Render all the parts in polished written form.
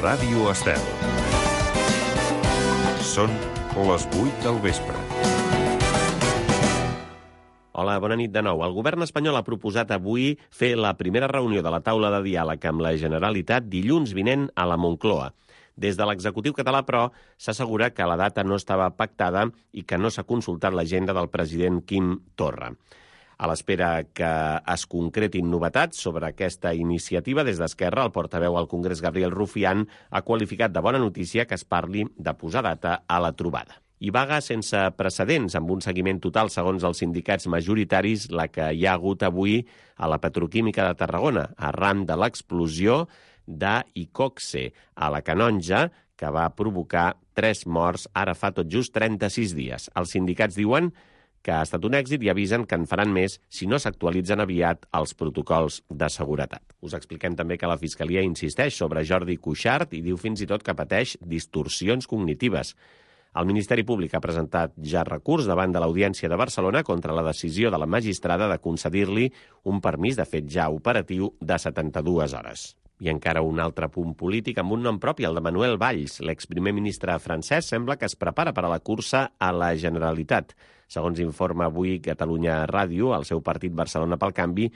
Ràdio Estel. Són les 8 del vespre. Hola, bona nit de nou. El govern espanyol ha proposat avui fer la primera reunió de la taula de diàleg amb la Generalitat dilluns vinent a la Moncloa. Des de l'executiu català, però, s'assegura que la data no estava pactada i que no s'ha consultat l'agenda del president Quim Torra. A l'espera que es concretin novetats sobre aquesta iniciativa, des d'Esquerra, el portaveu al Congrés, Gabriel Rufián, ha qualificat de bona notícia que es parli de posar data a la trobada. I vaga sense precedents, amb un seguiment total, segons els sindicats majoritaris, la que hi ha hagut avui a la Petroquímica de Tarragona, arran de l'explosió d'Icoxe a la Canonja, que va provocar 3 morts ara fa tot just 36 dies. Els sindicats diuen que ha estat un èxit i avisen que en faran més si no s'actualitzen aviat els protocols de seguretat. Us expliquem també que la Fiscalia insisteix sobre Jordi Cuixart i diu fins i tot que pateix distorsions cognitives. El Ministeri Públic ha presentat ja recurs davant de l'Audiència de Barcelona contra la decisió de la magistrada de concedir-li un permís de fet ja operatiu de 72 hores. I encara un altre punt polític amb un nom propi, el de Manuel Valls. L'exprimer ministre francès sembla que es prepara per a la cursa a la Generalitat. Segons informa avui Catalunya Ràdio, el seu partit Barcelona pel Canvi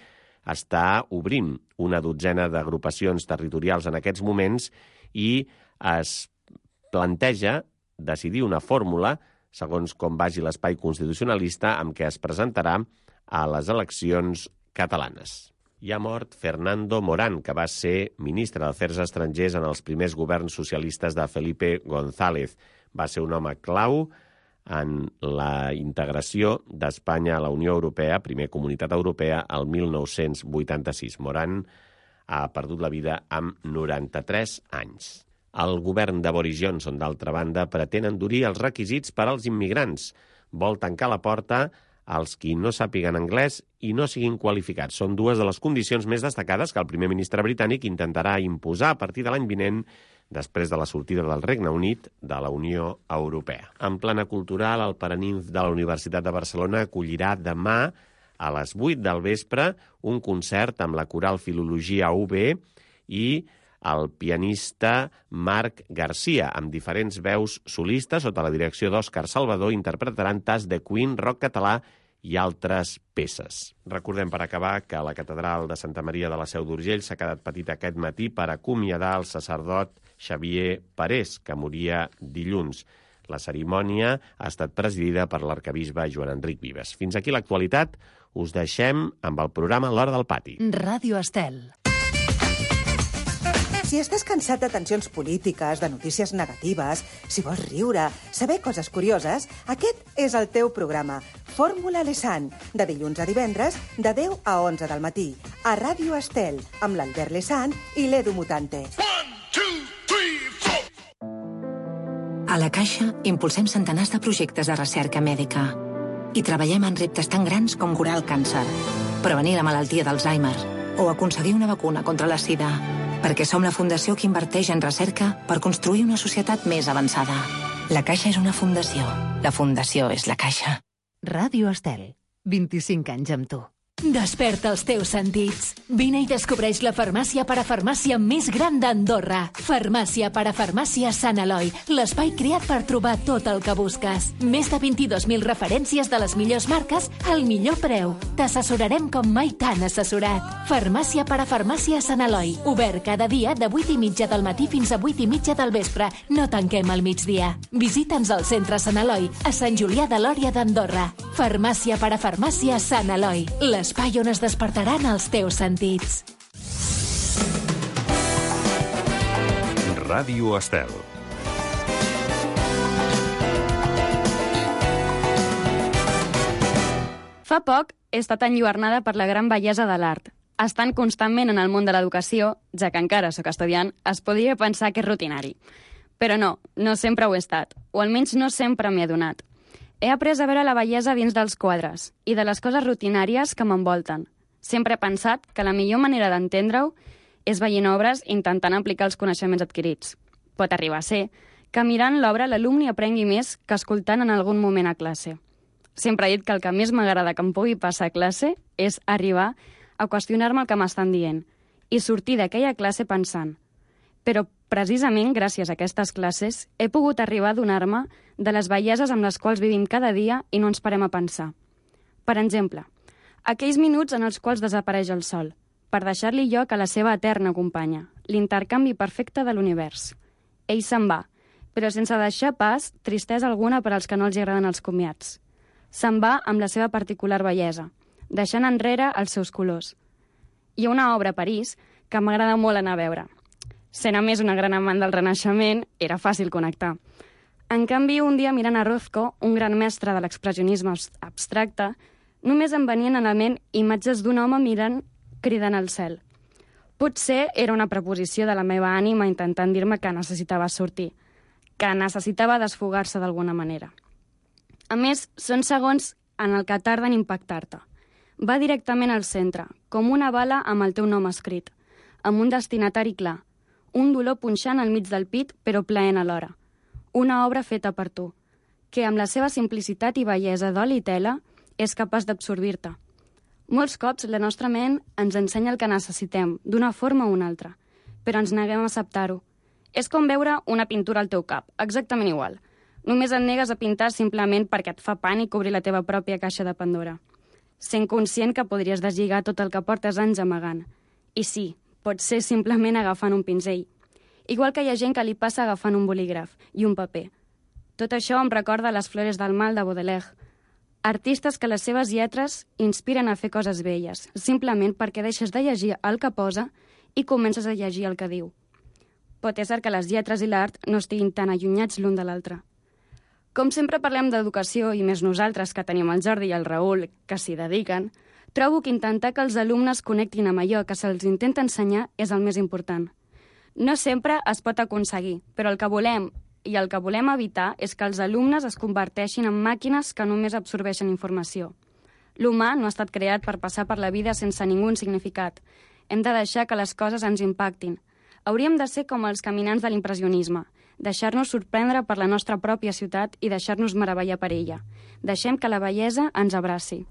està obrint una dotzena d'agrupacions territorials en aquests moments i es planteja decidir una fórmula, segons com vagi l'espai constitucionalista, amb què es presentarà a les eleccions catalanes. Hi ha mort Fernando Morán, que va ser ministre d'Afers Estrangers en els primers governs socialistes de Felipe González. Va ser un home clau en la integració d'Espanya a la Unió Europea, primer Comunitat Europea, el 1986. Morán ha perdut la vida amb 93 anys. El govern de Boris Johnson, d'altra banda, pretén endurir els requisits per als immigrants. Vol tancar la porta als qui no sàpiguen anglès i no siguin qualificats. Són dues de les condicions més destacades que el primer ministre britànic intentarà imposar a partir de l'any vinent després de la sortida del Regne Unit de la Unió Europea. En plana cultural, el Paraninf de la Universitat de Barcelona acollirà demà a les 8 del vespre un concert amb la coral Filologia UB i el pianista Marc Garcia, amb diferents veus solistes sota la direcció d'Òscar Salvador, interpretaran Tas de Queen, rock català i altres peces. Recordem, per acabar, que la catedral de Santa Maria de la Seu d'Urgell s'ha quedat petita aquest matí per acomiadar el sacerdot Xavier Parés, que moria dilluns. La cerimònia ha estat presidida per l'arquebisbe Joan Enric Vives. Fins aquí l'actualitat. Us deixem amb el programa L'Hora del Pati. Ràdio Estel. Si estàs cansat de tensions polítiques, de notícies negatives, si vols riure, saber coses curioses, aquest és el teu programa. Fórmula Lesan, de dilluns a divendres, de 10 a 11 del matí, a Ràdio Estel, amb l'Albert Lesan i l'Edu Mutante. 1, 2, 3, 4. A la Caixa impulsem centenars de projectes de recerca mèdica i treballem en reptes tan grans com curar el càncer, prevenir la malaltia d'Alzheimer o aconseguir una vacuna contra la sida, perquè som la fundació que inverteix en recerca per construir una societat més avançada. La Caixa és una fundació. La fundació és la Caixa. Ràdio Estel. 25 anys amb tu. Desperta els teus sentits. Vine i descobreix la farmàcia parafarmàcia més gran d'Andorra. Farmàcia parafarmàcia Sant Eloi, l'espai creat per trobar tot el que busques. Més de 22.000 referències de les millors marques al millor preu. T'assessorarem com mai t'han assessorat. Farmàcia parafarmàcia Sant Eloi, obert cada dia de 8:30 del matí fins a 8:30 del vespre. No tanquem al migdia. Visita'ns al centre Sant Eloi, a Sant Julià de Lòria d'Andorra. Farmàcia parafarmàcia Sant Eloi, l'espai on es despertaran els teus sentits. Ràdio Estel. Fa poc he estat enlluernada per la gran bellesa de l'art. Estant constantment en el món de l'educació, ja que encara sóc estudiant, es podria pensar que és rutinari. Però no, no sempre ho he estat, o almenys no sempre m'he adonat. He après a veure la bellesa dins dels quadres i de les coses rutinàries que m'envolten. Sempre he pensat que la millor manera d'entendre-ho és veient obres intentant aplicar els coneixements adquirits. Pot arribar a ser que mirant l'obra l'alumne aprengui més que escoltant en algun moment a classe. Sempre he dit que el que més m'agrada que em pugui passar a classe és arribar a qüestionar-me el que m'estan dient i sortir d'aquella classe pensant Però precisament gràcies a aquestes classes he pogut arribar a donar-me de les belleses amb les quals vivim cada dia i no ens parem a pensar. Per exemple, aquells minuts en els quals desapareix el sol, per deixar-li lloc a la seva eterna companya, l'intercanvi perfecte de l'univers. Ell se'n va, però sense deixar pas tristesa alguna per als que no els agraden els comiats. Se'n va amb la seva particular bellesa, deixant enrere els seus colors. Hi ha una obra a París que m'agrada molt anar a veure. Sent a més una gran amant del Renaixement, era fàcil connectar. En canvi, un dia mirant a Rothko, un gran mestre de l'expressionisme abstracte, només em venien a la ment imatges d'un home mirant, cridant al cel. Potser era una preposició de la meva ànima intentant dir-me que necessitava sortir, que necessitava desfogar-se d'alguna manera. A més, són segons en el que tarden impactar-te. Va directament al centre, com una bala amb el teu nom escrit, amb un destinatari clar, un dolor punxant al mig del pit, però plaent alhora. Una obra feta per tu, que amb la seva simplicitat i bellesa d'oli i tela és capaç d'absorbir-te. Molts cops la nostra ment ens ensenya el que necessitem, d'una forma o una altra, però ens neguem a acceptar-ho. És com veure una pintura al teu cap, exactament igual. Només et negues a pintar simplement perquè et fa pànic obrir la teva pròpia caixa de Pandora. Sent conscient que podries deslligar tot el que portes anys amagant. I sí, pot ser simplement agafant un pinzell. Igual que hi ha gent que li passa agafant un bolígraf i un paper. Tot això em recorda Les flores del mal de Baudelaire. Artistes que les seves lletres inspiren a fer coses belles, simplement perquè deixes de llegir el que posa i comences a llegir el que diu. Pot ser que les lletres i l'art no estiguin tan allunyats l'un de l'altre. Com sempre parlem d'educació, i més nosaltres que tenim el Jordi i el Raül, que s'hi dediquen, trobo que intentar que els alumnes connectin amb allò que se'ls intenta ensenyar és el més important. No sempre es pot aconseguir, però el que volem i el que volem evitar és que els alumnes es converteixin en màquines que només absorbeixen informació. L'humà no ha estat creat per passar per la vida sense ningú significat. Hem de deixar que les coses ens impactin. Hauríem de ser com els caminants de l'impressionisme, deixar-nos sorprendre per la nostra pròpia ciutat i deixar-nos meravellar per ella. Deixem que la bellesa ens abraci.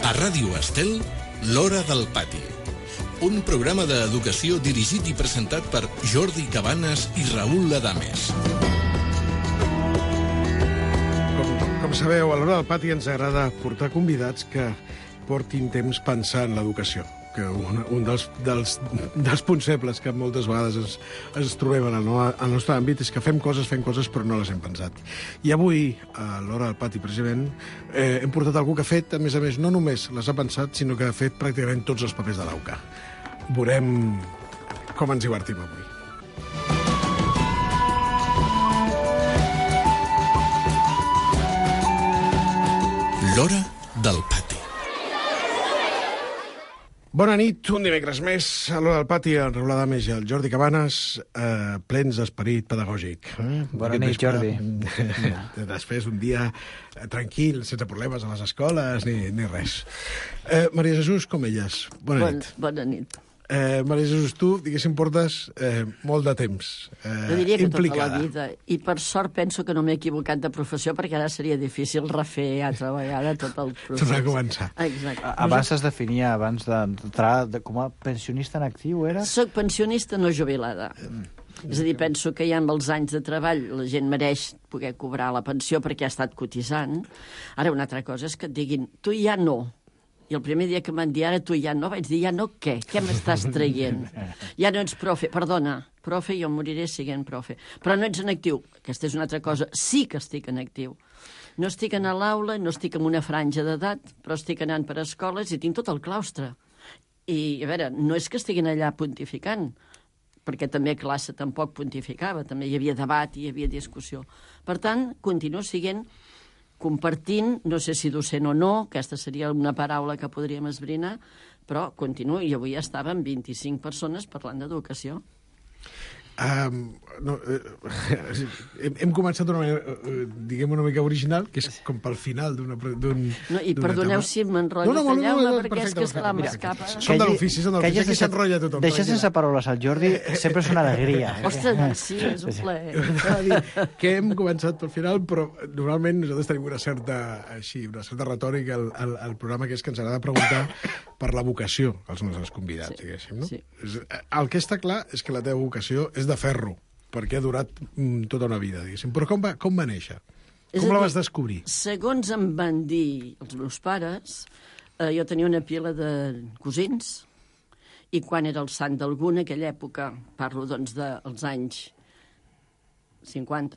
A Ràdio Estel, l'Hora del Pati. Un programa d'educació dirigit i presentat per Jordi Cabanes i Raül Adames. Com sabeu, a l'Hora del Pati ens agrada portar convidats que portin temps pensant en l'educació, que un dels punts febles que moltes vegades ens trobem en el nostre àmbit és que fem coses, però no les hem pensat. I avui, a l'Hora del Pati, precisament, hem portat algú que ha fet, a més, no només les ha pensat, sinó que ha fet pràcticament tots els papers de l'AUCA. Veurem com ens divertim avui. L'Hora del Pati. Bona nit, un dimecres més a l'Hora del Pati, el Raül Adames i el Jordi Cabanes, plens d'esperit pedagògic. Bona nit, Jordi. Després un dia tranquil, sense problemes a les escoles ni res. Maria Jesús Comelles, bona nit. Bona nit. Maria Jesús, tu, diguéssim, portes molt de temps Jo diria que implicada. tota la vida. I per sort penso que no m'he equivocat de professió, perquè ara seria difícil refer altra vegada tot el procés. Tornar a començar. Exacte. Abans es definia, abans d'entrar com a pensionista en actiu, era? Soc pensionista no jubilada. És a dir, penso que ja amb els anys de treball la gent mereix poder cobrar la pensió perquè ha estat cotitzant. Ara, una altra cosa és que et diguin, tu ja no. I el primer dia que m'han dit, ara tu ja no, vaig dir, ja no què? Què m'estàs traient? Ja no ets profe. Perdona, profe, jo moriré siguent profe. Però no ets en actiu. Aquesta és una altra cosa. Sí que estic en actiu. No estic a l'aula, no estic en una franja d'edat, però estic anant per escoles i tinc tot el claustre. I, a veure, no és que estiguin allà pontificant, perquè també a classe tampoc pontificava, també hi havia debat i hi havia discussió. Per tant, continuo siguent compartint, no sé si docent o no, aquesta seria una paraula que podríem esbrinar, però continuo, i avui estàvem 25 persones parlant d'educació. Hem començat d'una manera, diguem, una mica original, que és com pel final d'un... No, i perdoneu si m'enrotllo, talleu-me, perquè és que esclar m'escapa. Som de l'ofici, aquí s'enrotlla tothom. Deixar sense paraules al Jordi sempre és una alegria. Ostres, sí, és un plaer. Que hem començat pel final, però normalment nosaltres tenim una certa retòrica al programa, que és que ens agrada preguntar per la vocació als nostres convidats, diguéssim, no? El que està clar és que la teva vocació és de ferro, perquè ha durat tota una vida, diguéssim. Però com va néixer? Com la vas descobrir? Segons em van dir els meus pares, jo tenia una pila de cosins, i quan era el sant d'algú, en aquella època, parlo doncs dels anys 50,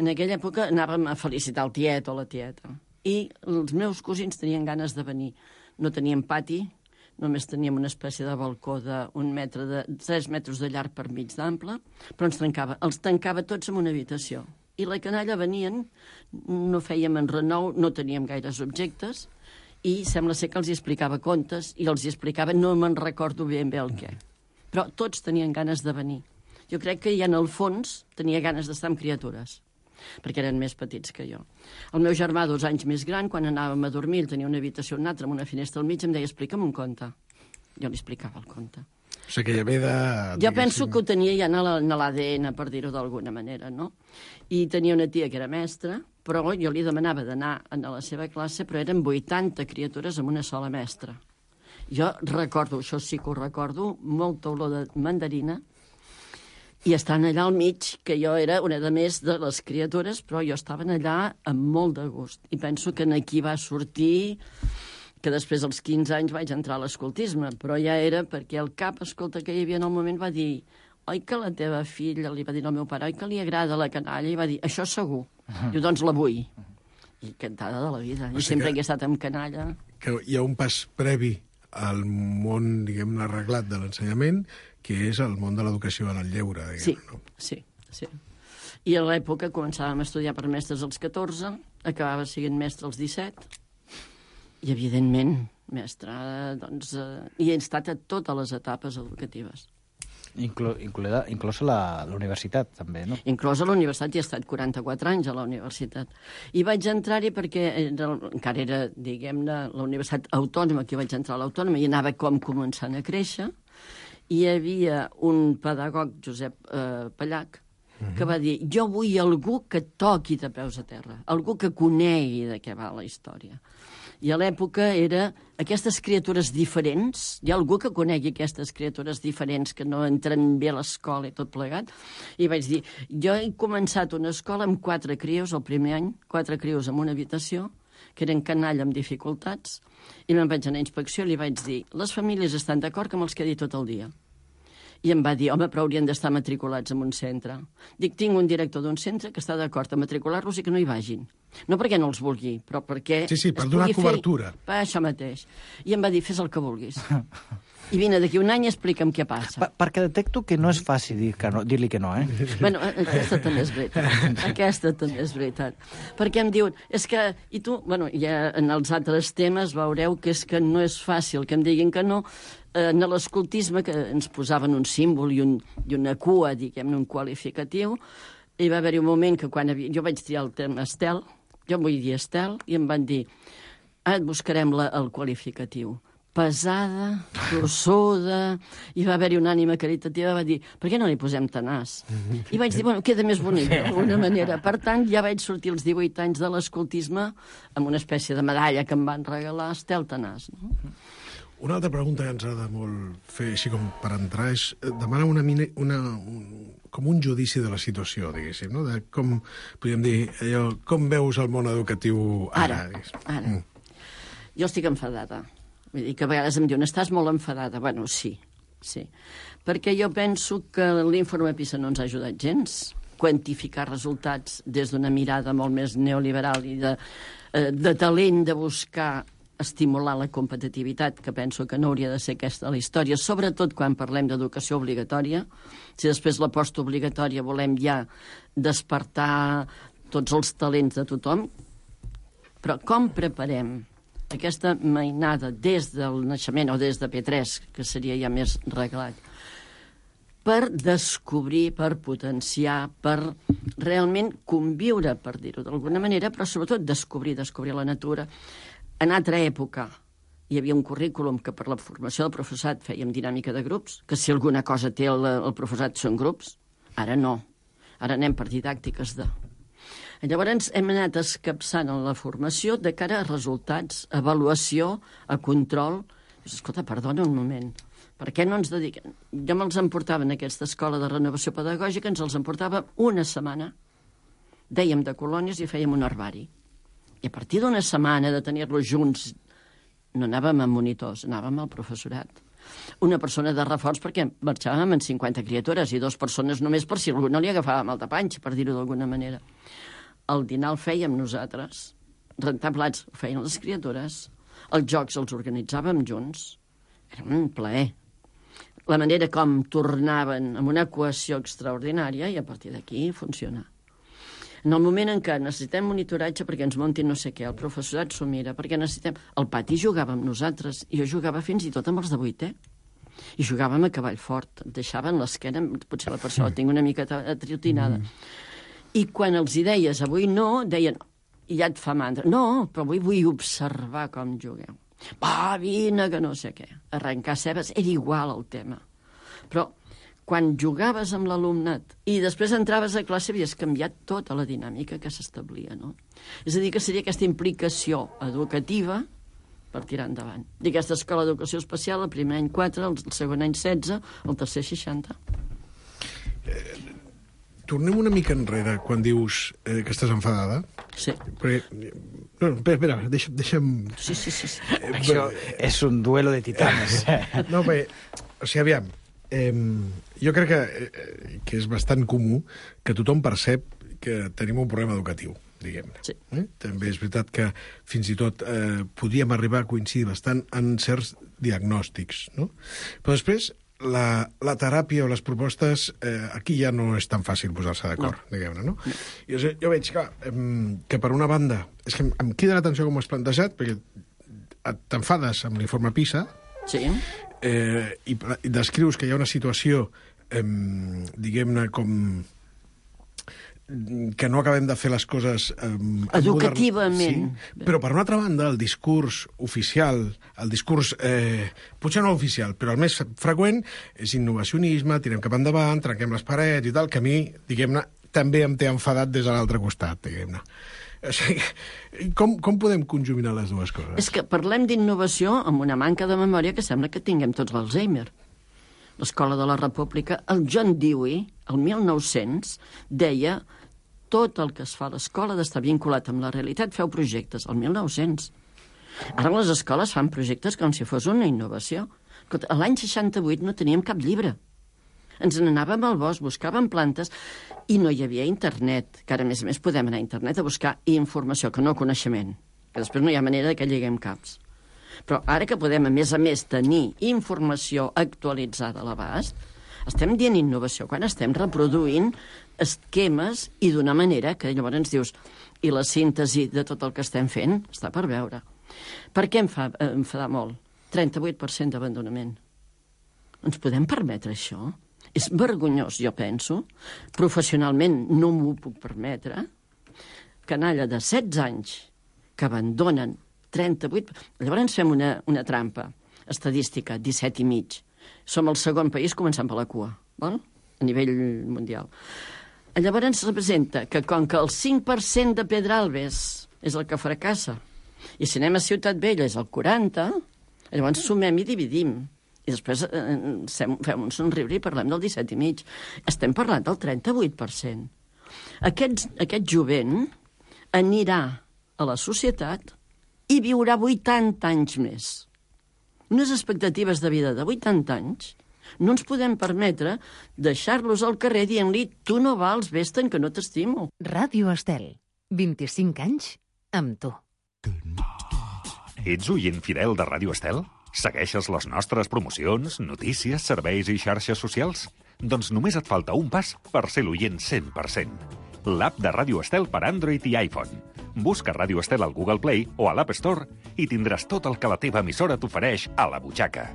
en aquella època anàvem a felicitar el tiet o la tieta. I els meus cosins tenien ganes de venir. No teníem pati, només teníem una espècie de balcó de 3 metres de llarg per mig d'ample, però els tancava tots en una habitació. I la canalla venien, no fèiem enrenou, no teníem gaires objectes, i sembla ser que els hi explicava contes, i els hi explicava, no me'n recordo ben bé el què. Però tots tenien ganes de venir. Jo crec que ja en el fons tenia ganes d'estar amb criatures, perquè eren més petits que jo. El meu germà, 2 anys més gran, quan anàvem a dormir, tenia una habitació una altra amb una finestra al mig, em deia, explica'm un conte. Jo li explicava el conte. O sigui que ja ve de... Jo penso que ho tenia ja en l'ADN, per dir-ho d'alguna manera, no? I tenia una tia que era mestra, però jo li demanava d'anar a la seva classe, però eren 80 criatures amb una sola mestra. Jo recordo, això sí que ho recordo, molta olor de mandarina, i estan allà al mig, que jo era una de més de les criatures, però jo estava allà amb molt de gust. I penso que aquí va sortir que després dels 15 anys vaig entrar a l'escoltisme, però ja era perquè el cap, escolta, que hi havia en el moment va dir, oi que la teva filla, li va dir al meu pare, oi que li agrada la canalla? I va dir, això segur. Jo doncs la vull. I encantada de la vida. Jo sempre he estat amb canalla. Que hi ha un pas previ al món, diguem-ne, arreglat de l'ensenyament, que és el món de l'educació en el lleure, diguem-ne. Sí. I a l'època començàvem a estudiar per mestres als 14, acabava sent mestre als 17, i evidentment, mestre, doncs, i he estat a totes les etapes educatives. Inclosa la universitat, també, no? Inclosa la universitat, i he estat 44 anys a la universitat. I vaig entrar-hi perquè encara era, diguem-ne, la universitat autònoma, que vaig entrar a l'autònoma, i anava com començant a créixer. Hi havia un pedagog, Josep Pallac, que va dir, jo vull algú que toqui de peus a terra, algú que conegui de què va la història. I a l'època era aquestes criatures diferents, hi ha algú que conegui aquestes criatures diferents que no entren bé a l'escola i tot plegat, i vaig dir, jo he començat una escola amb 4 crios el primer any, 4 crios en una habitació, que eren canalla amb dificultats, i me'n vaig anar a inspecció i li vaig dir, les famílies estan d'acord que me'ls quedi tot el dia. I em va dir, home, però haurien d'estar matriculats en un centre. Dic, tinc un director d'un centre que està d'acord a matricular-los i que no hi vagin. No perquè no els vulgui, però perquè... Sí, per donar cobertura. Per això mateix. I em va dir, fes el que vulguis. I vine d'aquí un any i explica'm què passa. Perquè detecto que no és fàcil dir-li que no, eh? Bueno, aquesta també és veritat. Aquesta també és veritat. Perquè em diuen, és que... I tu, bueno, ja en els altres temes veureu que és que no és fàcil que em diguin que no. En l'escoltisme, que ens posaven un símbol i una cua, diguem-ne, un qualificatiu, hi va haver-hi un moment que quan jo vaig triar el terme Estel, jo em vull dir Estel, i em van dir, et buscarem el qualificatiu. Pesada, tossuda, i va haver-hi una ànima caritativa, va dir, per què no li posem Tenaç? I vaig dir, bueno, queda més bonic, d'alguna manera. Per tant, ja vaig sortir als 18 anys de l'escoltisme amb una espècie de medalla que em van regalar Estel Tenaç, no? Una altra pregunta que ens ha de molt fer, així com per entrar, és demanar com un judici de la situació, diguéssim, no? De com, podríem dir, allò, com veus el món educatiu ara? Ara. Jo estic enfadada. Vull dir que a vegades em diuen, estàs molt enfadada. Bueno, sí. Perquè jo penso que l'informe PISA no ens ha ajudat gens. Quantificar resultats des d'una mirada molt més neoliberal i de talent de buscar estimular la competitivitat, que penso que no hauria de ser aquesta la història, sobretot quan parlem d'educació obligatòria. Si després la postobligatòria volem ja despertar tots els talents de tothom, però com preparem aquesta mainada des del naixement o des de P3, que seria ja més reglat, per descobrir, per potenciar, per realment conviure, per dir-ho d'alguna manera, però sobretot descobrir la natura. En altra època hi havia un currículum que per la formació del professorat fèiem dinàmica de grups, que si alguna cosa té el professorat són grups. Ara no. Ara anem per didàctiques de... Llavors hem anat escapçant en la formació de cara a resultats, a avaluació, a control. Escolta, perdona un moment, per què no ens dediquem? Jo me'ls emportava en aquesta escola de renovació pedagògica, ens els emportava una setmana. Dèiem de colònies i fèiem un herbari. I a partir d'una setmana de tenir-los junts, no anàvem amb monitors, anàvem al professorat. Una persona de reforç perquè marxàvem amb 50 criatures i 2 persones només per si algú no li agafava mal de panxa, per dir-ho d'alguna manera. El dinar el fèiem nosaltres, rentar plats ho feien les criatures, els jocs els organitzàvem junts. Era un plaer. La manera com tornaven amb una cohesió extraordinària i a partir d'aquí funciona. En el moment en què necessitem monitoratge perquè ens montin no sé què, el professorat s'ho mira, perquè necessitem... Al pati jugàvem nosaltres, i jo jugava fins i tot amb els de 8è. I jugàvem a cavall fort, et deixaven l'esquena, potser la persona tinc una mica atriotinada. I quan els hi deies avui no, deien, ja et fa mandra. No, però avui vull observar com jugueu. Va, vine, que no sé què. Arrencar cebes era igual el tema. Però quan jugaves amb l'alumnat i després entraves a classe havies canviat tota la dinàmica que s'establia, no? És a dir, que seria aquesta implicació educativa per tirar endavant. I aquesta escola d'educació especial, el primer any 4, el segon any 16, el tercer 60. Tornem una mica enrere quan dius que estàs enfadada. Sí. Perquè... No, espera, deixa'm... Sí. Això és un duelo de titanes. No, bé, o sigui, aviam, jo crec que és bastant comú que tothom percep que tenim un problema educatiu, diguem-ne. Sí. També és veritat que fins i tot podíem arribar a coincidir bastant en certs diagnòstics, no? Però després la teràpia o les propostes, aquí ja no és tan fàcil posar-se d'acord, diguem-ne, no? Jo veig que per una banda, és que em crida l'atenció com ho has plantejat, perquè t'enfades amb l'informe PISA, sí. I descrius que hi ha una situació, diguem-ne, com que no acabem de fer les coses... educativament. Sí, però per una altra banda, el discurs oficial, el discurs, potser no oficial, però el més freqüent és innovacionisme, tirem cap endavant, trenquem les parets i tal, que a mi, diguem-ne, també em té enfadat des de l'altre costat, diguem-ne. O sigui, com podem conjuminar les dues coses? És que parlem d'innovació amb una manca de memòria que sembla que tinguem tots l'Alzheimer. L'Escola de la República, el John Dewey, el 1900, deia tot el que es fa a l'escola d'estar vinculat amb la realitat, feu projectes, el 1900. Ara les escoles fan projectes com si fos una innovació. L'any 68 no teníem cap llibre. Ens n'anàvem al bosc, buscàvem plantes i no hi havia internet, que ara a més podem anar a internet a buscar informació, que no coneixement, que després no hi ha manera que lliguem caps. Però ara que podem, a més, tenir informació actualitzada a l'abast, estem dient innovació quan estem reproduint esquemes i d'una manera que llavors ens dius i la síntesi de tot el que estem fent està per veure. Per què em fa enfadar molt? 38% d'abandonament. Ens podem permetre això? És vergonyós, jo penso. Professionalment no m'ho puc permetre. Canalla de 16 anys que abandonen 38... Llavors fem una trampa estadística, 17,5. Som el segon país començant per la cua, val? A nivell mundial. Llavors ens representa que com que el 5% de Pedralbes és el que fracassa, i si anem a Ciutat Vella és el 40%, llavors sumem i dividim. I després fem un somriure i parlem del 17,5. Estem parlant del 38%. Aquest jovent anirà a la societat i viurà 80 anys més. Unes expectatives de vida de 80 anys no ens podem permetre deixar-los al carrer dient-li tu no vals, vés-te'n, que no t'estimo. Ràdio Estel, 25 anys amb tu. Ets oient fidel de Ràdio Estel? Segueixes les nostres promocions, notícies, serveis i xarxes socials? Doncs només et falta un pas per ser l'oient 100%. L'app de Ràdio Estel per Android i iPhone. Busca Ràdio Estel al Google Play o a l'App Store i tindràs tot el que la teva emissora t'ofereix a la butxaca.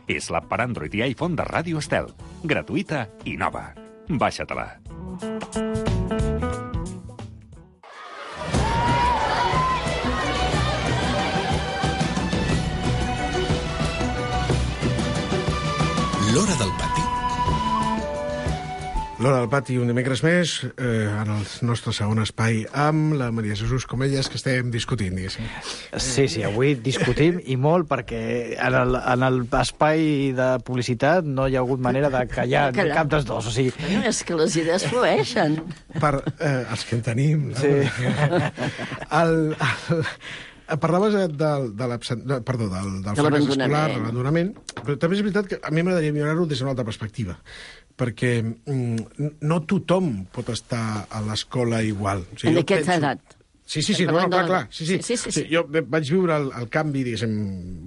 És l'app per Android i iPhone de Ràdio Estel. Gratuïta i nova. Baixa-te-la. L'Hora del Pati. L'Hora del Pati, un dimecres més, en el nostre segon espai, amb la Maria Jesús Comelles, que estem discutint, diguéssim. Sí, avui discutim i molt, perquè en l'espai de publicitat no hi ha hagut manera de callar cap dels dos. O sigui... No, és que les idees flueixen. Per els que en tenim. No? Sí. Parlaves del fracàs escolar, de l'abandonament, però també és veritat que a mi m'agradaria millorar-ho des d'una altra perspectiva, perquè no tothom pot estar a l'escola igual. O sigui, en aquesta edat. Sí, clar. Sí. Jo vaig viure el canvi, diguéssim,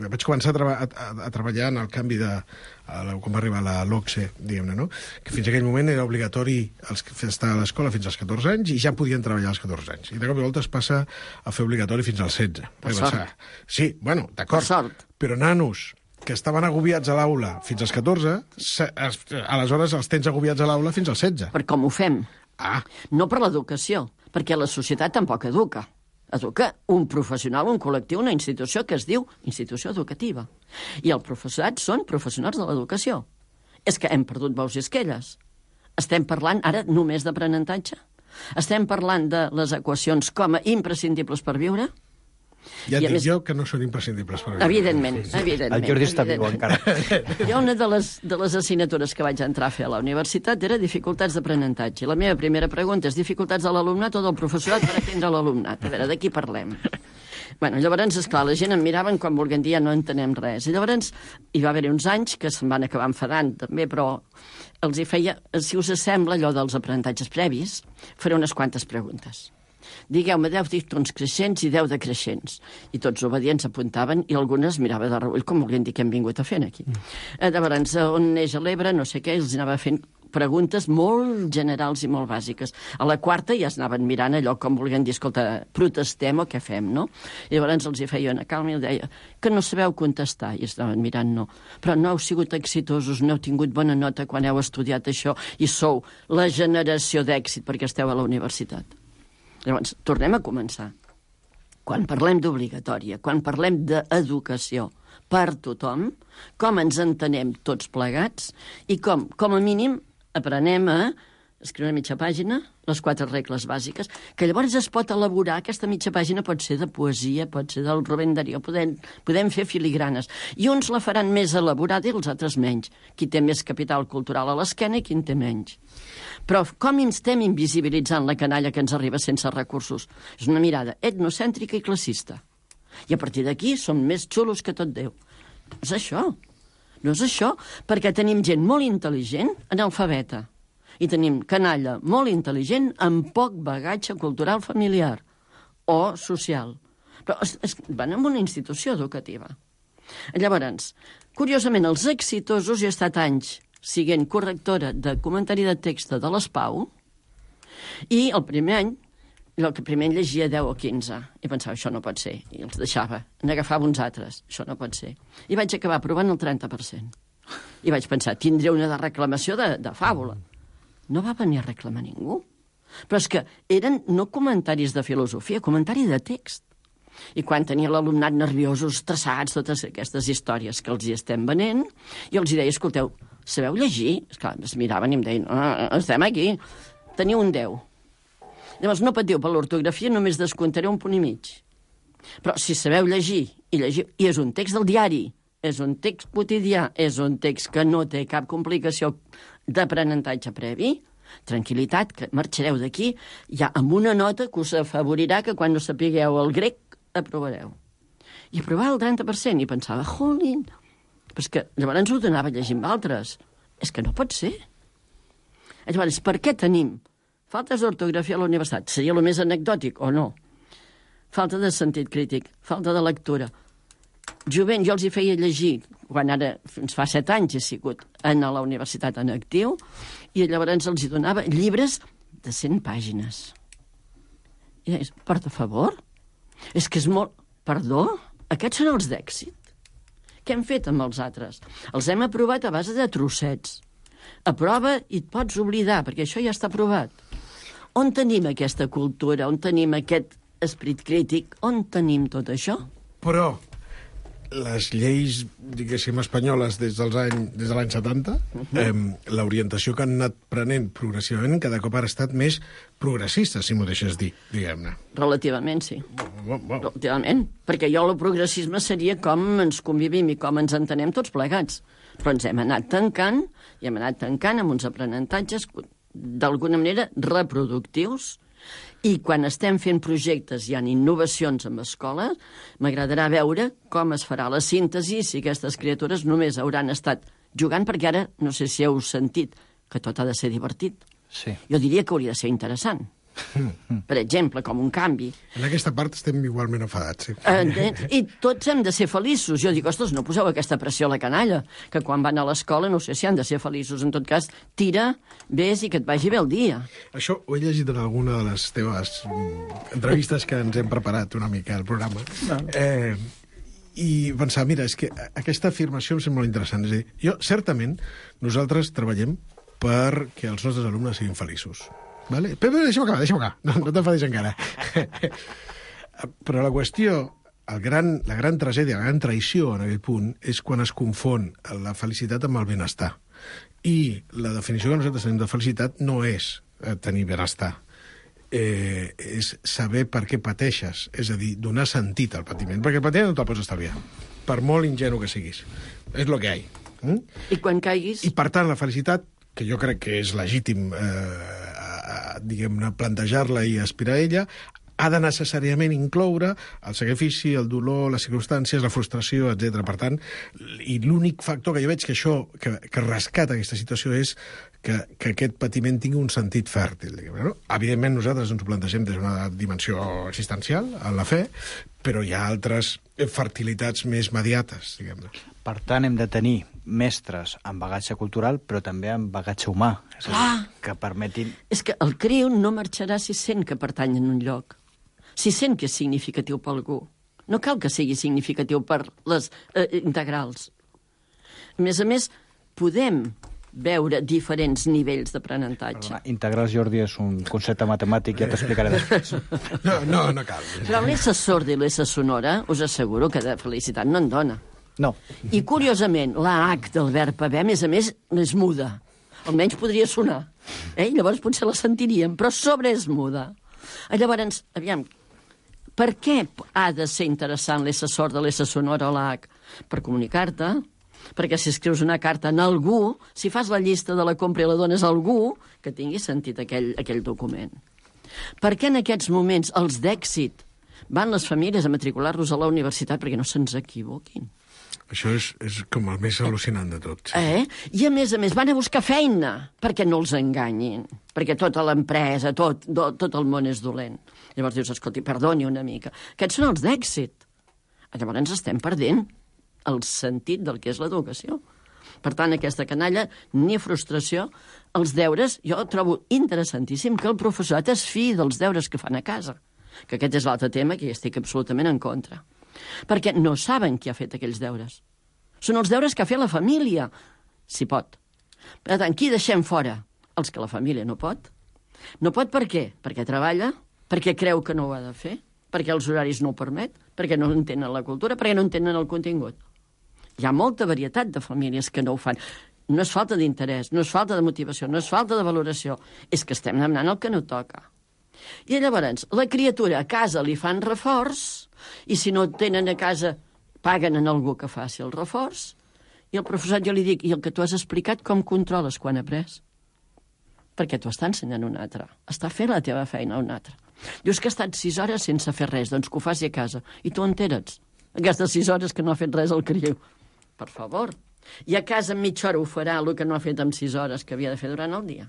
vaig començar a treballar en el canvi quan va arribar la LOCSE, diguem-ne, no? Que fins aquell moment era obligatori estar a l'escola fins als 14 anys i ja podien treballar als 14 anys. I de cop i volta es passa a fer obligatori fins als 16. Per sort. Sí, bueno, d'acord. Per sort. Però nanos que estaven agobiats a l'aula fins als 14, aleshores els tens agobiats a l'aula fins als 16. Per com ho fem. No per l'educació, perquè la societat tampoc educa. Educa un professional, un col·lectiu, una institució que es diu institució educativa. I el professorat són professionals de l'educació. És que hem perdut bous i esquelles. Estem parlant ara només d'aprenentatge? Estem parlant de les equacions com a imprescindibles per viure? Ja et dic jo que no són imprescindibles per viure. Evidentment. El Jordi està viu encara. Jo una de les assignatures que vaig entrar a fer a la universitat era dificultats d'aprenentatge. La meva primera pregunta és dificultats de l'alumnat o del professorat per atendre l'alumnat. A veure, de qui parlem? Bueno, llavors, esclar, la gent em miraven quan volguem dir ja no entenem res. I llavors hi va haver uns anys que se'n van acabar enfadant també, però els hi feia, si us sembla allò dels aprenentatges previs, faré unes quantes preguntes. Digueu-me 10 dictons creixents i 10 decreixents. I tots obedients apuntaven i algunes mirava de reull, com volien dir que hem vingut a fer aquí. Llavors, on neix l'Ebre, no sé què, els anava fent preguntes molt generals i molt bàsiques. A la quarta ja es anaven mirant allò com volien dir, escolta, protestem o què fem, no? I llavors els hi feia una calma i els deia que no sabeu contestar, i estaven mirant, no. Però no heu sigut exitosos, no heu tingut bona nota quan heu estudiat això i sou la generació d'èxit perquè esteu a la universitat. Llavors, tornem a començar. Quan parlem d'obligatòria, quan parlem d'educació per tothom, com ens entenem tots plegats i com a mínim, aprenem a escriure una mitja pàgina, les 4 regles bàsiques, que llavors es pot elaborar, aquesta mitja pàgina pot ser de poesia, pot ser del Rubén Darío, podem fer filigranes. I uns la faran més elaborada i els altres menys. Qui té més capital cultural a l'esquena i qui en té menys. Però com estem invisibilitzant la canalla que ens arriba sense recursos? És una mirada etnocèntrica i classista. I a partir d'aquí som més xulos que tot Déu. No és això. No és això, perquè tenim gent molt intel·ligent, analfabeta. I tenim canalla molt intel·ligent amb poc bagatge cultural familiar o social. Però van en una institució educativa. Llavors, curiosament, els exitosos, jo he estat anys siguent correctora de comentari de text de l'ESPAU, i el primer any llegia 10 o 15, i pensava, això no pot ser, i els deixava, n'agafava uns altres, això no pot ser. I vaig acabar aprovant el 30%. I vaig pensar, tindré una de reclamació de fàbula. No va venir a reclamar ningú. Però és que eren no comentaris de filosofia, comentari de text. I quan tenia l'alumnat nerviosos, estressats, totes aquestes històries que els hi estem venent, jo els hi deia, escolteu, sabeu llegir? Esclar, es miraven i em deien, estem aquí, teniu un 10. Llavors no patiu per l'ortografia, només descomptaré 1,5 punts. Però si sabeu llegir, i és un text del diari, és un text quotidià, és un text que no té cap complicació d'aprenentatge previ, tranquil·litat, que marxareu d'aquí ja amb una nota que us afavorirà que quan no sapigueu el grec aprovareu. I aprovava el 30%, i pensava, jolín, però és que llavors ho donava llegint altres. És que no pot ser. Llavors, per què tenim faltes d'ortografia a la universitat? Seria el més anecdòtic, o no? Falta de sentit crític, falta de lectura. Jovent, jo els hi feia llegir, quan ara, fins fa 7 anys he sigut a la universitat en actiu, i llavors els hi donava llibres de 100 pàgines. I deies, per favor? És que és molt... Perdó? Aquests són els d'èxit? què hem fet amb els altres? Els hem aprovat a base de trossets. Aprova i et pots oblidar, perquè això ja està aprovat. On tenim aquesta cultura? On tenim aquest esperit crític? On tenim tot això? Però les lleis, diguéssim, espanyoles des de l'any 70, l'orientació que han anat prenent progressivament cada cop ha estat més progressista, si m'ho deixes dir, diguem-ne. Relativament, sí. Relativament. Perquè el progressisme seria com ens convivim i com ens entenem tots plegats. Però ens hem anat tancant, i hem anat tancant amb uns aprenentatges d'alguna manera reproductius. I quan estem fent projectes i hi ha innovacions en escoles, m'agradarà veure com es farà la síntesi si aquestes criatures només hauran estat jugant, perquè ara, no sé si heu sentit, que tot ha de ser divertit. Sí. Jo diria que hauria de ser interessant. Per exemple, com un canvi. En aquesta part estem igualment enfadats. Sí. I tots hem de ser feliços. Jo dic, ostres, no poseu aquesta pressió a la canalla, que quan van a l'escola no sé si han de ser feliços. En tot cas, tira, vés i que et vagi bé el dia. Això ho he llegit en alguna de les teves entrevistes que ens hem preparat una mica al programa. I pensar, mira, és que aquesta afirmació em sembla molt interessant. És a dir, certament, nosaltres treballem perquè els nostres alumnes siguin feliços. Vale? Però deixa'm acabar. No t'enfadis encara. Però la qüestió, la gran tragèdia, la gran traïció en aquell punt, és quan es confon la felicitat amb el benestar. I la definició que nosaltres tenim de felicitat no és tenir benestar. És saber per què pateixes, és a dir, donar sentit al patiment. Perquè el patiment no te'l pots estalviar, per molt ingenu que siguis. És el que hi ha. I quan caiguis... I per tant, la felicitat, que jo crec que és legítim diguem-ne, plantejar-la i aspirar a ella, ha de necessàriament incloure el sacrifici, el dolor, les circumstàncies, la frustració, etc. Per tant, i l'únic factor que jo veig que rescata aquesta situació és que aquest patiment tingui un sentit fèrtil. No? Evidentment, nosaltres ens ho plantegem des d'una dimensió existencial, en la fe, però hi ha altres fertilitats més mediates, diguem-ne. Per tant, hem de tenir mestres amb bagatge cultural, però també amb bagatge humà. És a dir, que permetin... És que el criu no marxarà si sent que pertany en un lloc, si sent que és significatiu per algú. No cal que sigui significatiu per les integrals. A més, podem veure diferents nivells d'aprenentatge. Integrals, Jordi, és un concepte matemàtic, ja t'explicaré després. No cal. Però l'essa sorda i l'essa sonora, us asseguro que de felicitat no en dona. No. I, curiosament, la H del verb haver, a més, és muda. Almenys podria sonar. Llavors potser la sentiríem, però sobre és muda. Llavors, aviam, per què ha de ser interessant l'essa sorda, l'essa sonora o la H? Per comunicar-te, perquè si escrius una carta a algú, si fas la llista de la compra i la dones a algú, que tingui sentit aquell document. Per què en aquests moments els d'èxit van les famílies a matricular-los a la universitat perquè no se'ns equivoquin? Això és com el més al·lucinant de tot. Sí. I a més, van a buscar feina perquè no els enganyin, perquè tota l'empresa, tot el món és dolent. Llavors dius, escolti, perdoni una mica. Aquests són els d'èxit. Llavors ens estem perdent el sentit del que és l'educació. Per tant, aquesta canalla, ni frustració. Els deures, jo trobo interessantíssim que el professorat es fiï dels deures que fan a casa. Que aquest és l'altre tema que hi estic absolutament en contra. Perquè no saben qui ha fet aquells deures. Són els deures que ha fet la família, si pot. Per tant, qui deixem fora? Els que la família no pot. No pot per què? Perquè treballa, perquè creu que no ho ha de fer, perquè els horaris no ho permet, perquè no entenen la cultura, perquè no entenen el contingut. Hi ha molta varietat de famílies que no ho fan. No és falta d'interès, no és falta de motivació, no és falta de valoració, és que estem demanant el que no toca. I llavors, la criatura a casa li fan reforç, i si no tenen a casa, paguen en algú que faci el reforç, i el professor jo li dic, i el que tu has explicat, com controles quan ha après? Perquè t'ho està ensenyant un altre. Està fent la teva feina un altre. Dius que ha estat 6 hores sense fer res, doncs que ho faci a casa. I tu enteres aquestes 6 hores que no ha fet res al criu. Per favor. I a casa en mitja hora ho farà el que no ha fet en 6 hores que havia de fer durant el dia.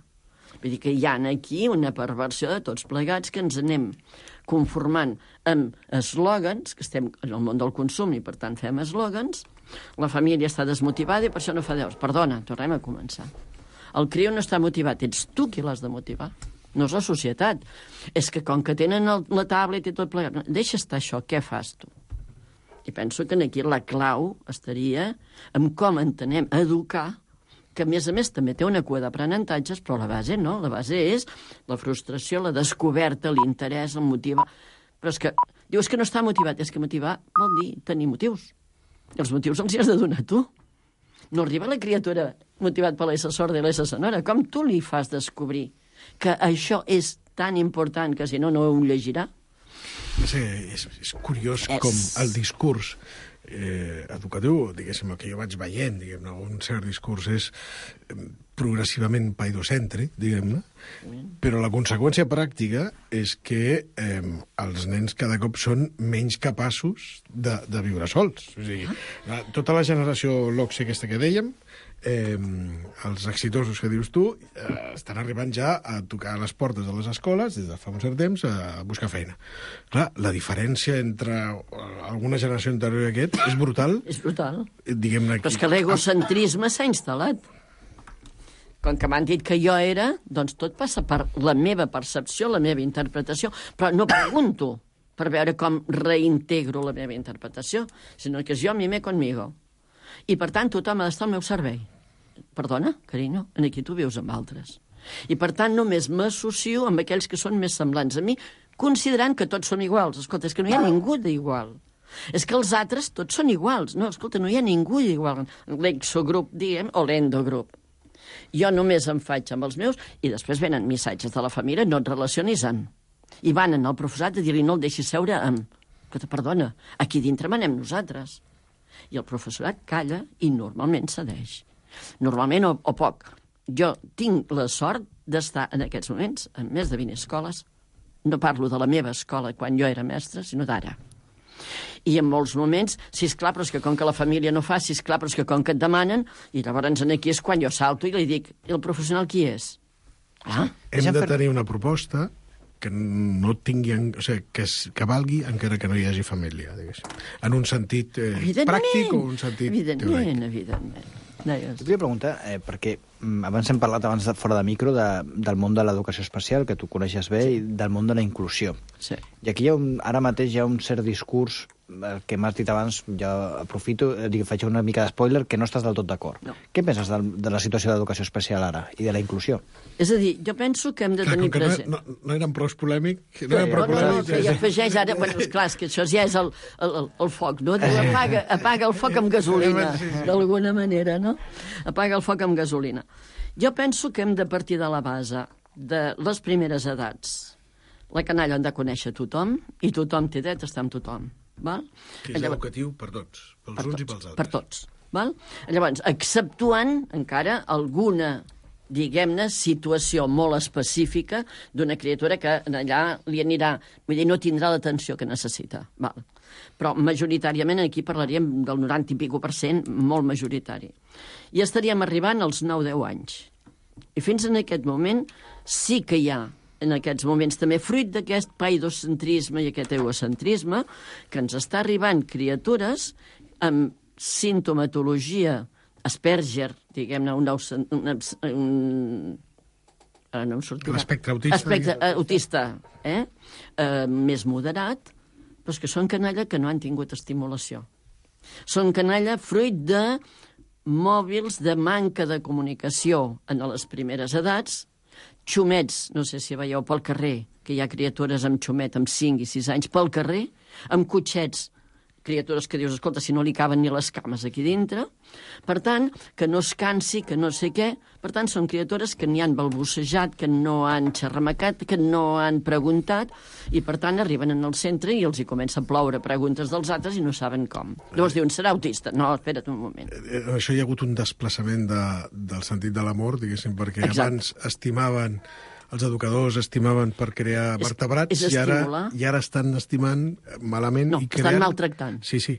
Vull dir que hi ha aquí una perversió de tots plegats que ens anem conformant amb eslògans, que estem en el món del consum i per tant fem eslògans, la família està desmotivada i per això no fa deures. Perdona, tornem a començar. El criu no està motivat, ets tu qui l'has de motivar, no és la societat. És que com que tenen la tablet i tot plegat, deixa estar això, què fas tu? I penso que aquí la clau estaria en com entenem educar, que a més també té una cua d'aprenentatges, però la base no. La base és la frustració, la descoberta, l'interès, el motiu. Però és que dius que no està motivat. És que motivar vol dir tenir motius. I els motius els hi has de donar tu. No arriba la criatura motivat per l'essa sorda i l'essa sonora. Com tu li fas descobrir que això és tan important que si no, no ho llegirà? És curiós com el discurs educatiu, diguéssim, el que jo vaig veient, diguem-ne, un cert discurs és progressivament paidocèntric, diguem-ne, però la conseqüència pràctica és que els nens cada cop són menys capaços de viure sols. O sigui, tota la generació LOCSE aquesta que dèiem, els exitosos que dius tu, estan arribant ja a tocar a les portes de les escoles des de fa un cert temps a buscar feina. Clar, la diferència entre alguna generació anterior a aquest és brutal. És brutal. Diguem-ne aquí. Però és que l'egocentrisme s'ha instal·lat. Com que m'han dit que jo era, doncs tot passa per la meva percepció, la meva interpretació, però no pregunto per veure com reintegro la meva interpretació, sinó que és jo, mime conmigo. I, per tant, tothom ha d'estar al meu servei. Perdona, carinyo, aquí tu vius amb altres. I, per tant, només m'associo amb aquells que són més semblants a mi, considerant que tots som iguals. Escolta, és que no hi ha ningú d'igual. És que els altres tots són iguals. No, escolta, no hi ha ningú d'igual. L'exogrup, diguem, o l'endogrup. Jo només em faig amb els meus i després venen missatges de la família, no et relacionis amb. I van al professorat a dir-li no el deixis seure amb. Escolta, perdona, aquí dintre manem nosaltres. I el professorat calla i normalment cedeix. Normalment o poc. Jo tinc la sort d'estar en aquests moments en més de 20 escoles. No parlo de la meva escola quan jo era mestra, sinó d'ara. I en molts moments, sisplau, però és que com que la família no fa, sisplau, però és que com que et demanen, i llavors aquí és quan jo salto i li dic, i el professional qui és? Hem de tenir una proposta que no tingui, o sigui, que valgui encara que no hi hagi família, diguéssim. En un sentit pràctic o un sentit teòric. Evidentment. Jo volia preguntar, perquè abans hem parlat fora de micro del món de l'educació especial, que tu coneixes bé, i del món de la inclusió. Sí. I aquí ara mateix hi ha un cert discurs, el que m'has dit abans, ja aprofito, faig una mica d'espoiler, que no estàs del tot d'acord. No. Què penses de la situació d'educació especial ara i de la inclusió? És a dir, jo penso que hem de tenir present... No eren prou polèmic? No, que ja afegeix ara... Bueno, esclar, és que això ja és el foc, no? Diu, apaga el foc amb gasolina, d'alguna manera, no? Apaga el foc amb gasolina. Jo penso que hem de partir de la base de les primeres edats. La canalla han de conèixer tothom i tothom té dret a estar amb tothom. Val? Que és educatiu per tots, pels uns i pels altres. Per tots. Val? Llavors, exceptuant encara alguna, diguem-ne, situació molt específica d'una criatura que allà li anirà, vull dir, no tindrà l'atenció que necessita. Val? Però majoritàriament aquí parlaríem del 90 i escaig %, molt majoritari. I estaríem arribant als 9-10 anys. I fins en aquest moment sí que hi ha en aquests moments també, fruit d'aquest paidocentrisme i aquest egocentrisme, que ens està arribant criatures amb sintomatologia Asperger, diguem-ne, l'espectre autista. Espectre autista, més moderat, però és que són canalla que no han tingut estimulació. Són canalla fruit de mòbils de manca de comunicació en les primeres edats, xumets, no sé si veieu pel carrer, que hi ha criatures amb xumet amb 5 i 6 anys pel carrer, amb cotxets, criatures que dius, escolta, si no li caben ni les cames aquí dintre. Per tant, que no es cansi, que no sé què. Per tant, són criatures que ni han balbucejat, que no han xerramecat, que no han preguntat, i per tant arriben en el centre i els hi comença a ploure preguntes dels altres i no saben com. Llavors diuen, serà autista? No, espera't un moment. Això hi ha hagut un desplaçament del sentit de l'amor, diguéssim, perquè abans estimaven... Els educadors estimaven per crear vertebrats i ara estan estimant malament i creant... estan maltractant. Sí,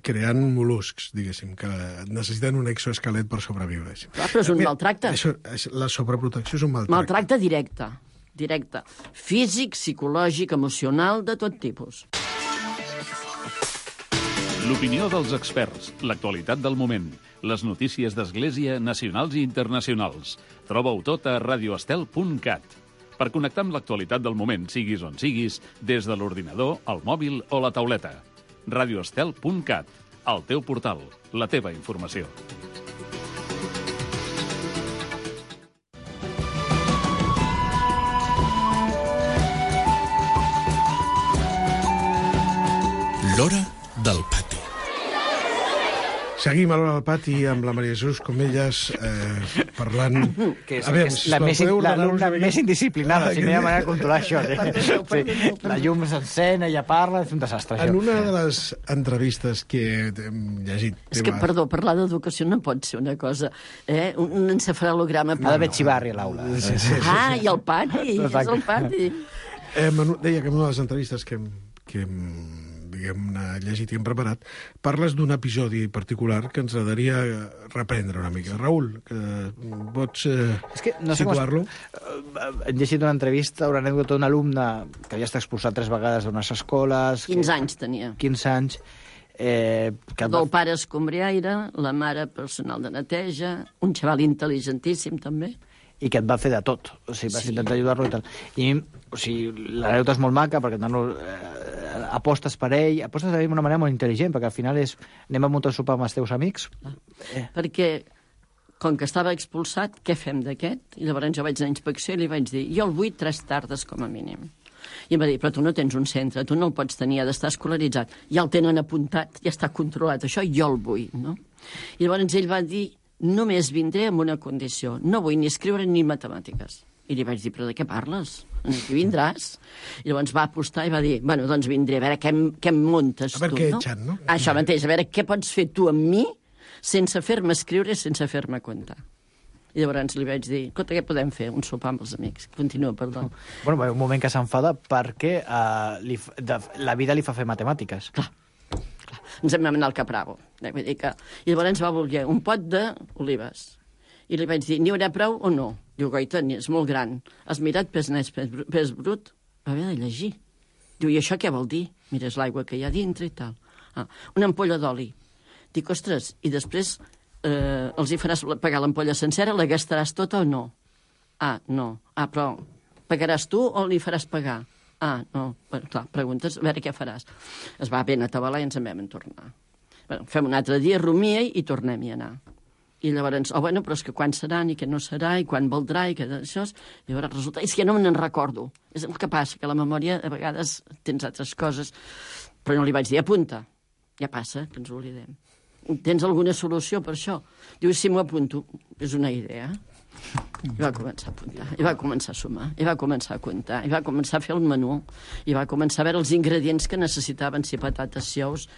creant mol·luscs, diguéssim, que necessiten un exoesquelet per sobreviure. Clar, però és un maltracte. La sobreprotecció és un maltracte. Maltracte directe. Físic, psicològic, emocional, de tot tipus. L'opinió dels experts, l'actualitat del moment, les notícies d'Església nacionals i internacionals. Troba-ho tot a radioestel.cat. Per connectar amb l'actualitat del moment, siguis on siguis, des de l'ordinador, el mòbil o la tauleta. radioestel.cat, el teu portal, la teva informació. L'hora del pati. Seguim a l'hora del pati amb la Maria Jesús Comelles parlant... Que és l'alumna més indisciplinada, si no hi ha manera de controlar això. Sí. La llum s'encén, ella parla, és un desastre. En una de les entrevistes que hem llegit... És que, perdó, parlar d'educació no pot ser una cosa... Un encefalograma... Ha d'haver xivarri a l'aula. Ah, i el pati, és el pati. Deia que en una de les entrevistes que hem llegit i hem preparat, parles d'un episodi particular que ens agradaria reprendre una mica. Raül, que pots situar-lo? Hem llegit una entrevista, una anècdota d'un alumne que havia estat expulsat 3 vegades d'unes escoles... 15 anys tenia. 15 anys. El pare escombriaire, la mare personal de neteja, un xaval intel·ligentíssim, també. I que et va fer de tot. O sigui, vas intentar ajudar-lo i tal. I, o sigui, l'anècdota és molt maca, perquè apostes per ell d'una manera molt intel·ligent, perquè al final és anem a muntar un sopar amb els teus amics. Perquè, com que estava expulsat, què fem d'aquest? I llavors jo vaig anar a inspecció i li vaig dir, jo el vull 3 tardes com a mínim. I em va dir, però tu no tens un centre, tu no el pots tenir, ha d'estar escolaritzat. Ja el tenen apuntat, ja està controlat, això jo el vull, no? I llavors ell va dir, només vindré amb una condició, no vull ni escriure ni matemàtiques. I li vaig dir, però de què parles? Aquí vindràs? I llavors va apostar i va dir, bueno, doncs vindré, a veure què em muntes tu, no? A veure què eixen, no? Això mateix, a veure què pots fer tu amb mi sense fer-me escriure, sense fer-me comptar. I llavors li vaig dir, escolta, què podem fer? Un sopar amb els amics. Continua, perdó. Bueno, un moment que s'enfada perquè la vida li fa fer matemàtiques. Clar. Ens hem anar al Capravo. Vull dir que... I llavors va voler un pot d'olives. I li vaig dir, n'hi haurà prou o no? Diu, goita, és molt gran. Has mirat pes net, pes brut? Va haver de llegir. Diu, i això què vol dir? Mira, és l'aigua que hi ha dintre i tal. Una ampolla d'oli. Dic, ostres, i després els hi faràs pagar l'ampolla sencera, la gastaràs tota o no? No. Però pagaràs tu o li faràs pagar? No. Bueno, clar, preguntes, a veure què faràs. Es va ben atabalar i ens en vam tornar. Bueno, fem un altre dia, rumia i tornem-hi a anar. I llavors, bueno, però és que quan seran i què no serà i quan valdrà i què d'això... I llavors resulta... És que no me n'en recordo. És el que passa, que la memòria a vegades tens altres coses. Però no li vaig dir, apunta. Ja passa, que ens oblidem. Tens alguna solució per això? Diu, si m'ho apunto, és una idea. I va començar a apuntar, i va començar a sumar, i va començar a comptar, i va començar a fer el menú, i va començar a veure els ingredients que necessitaven, si patates, si ous,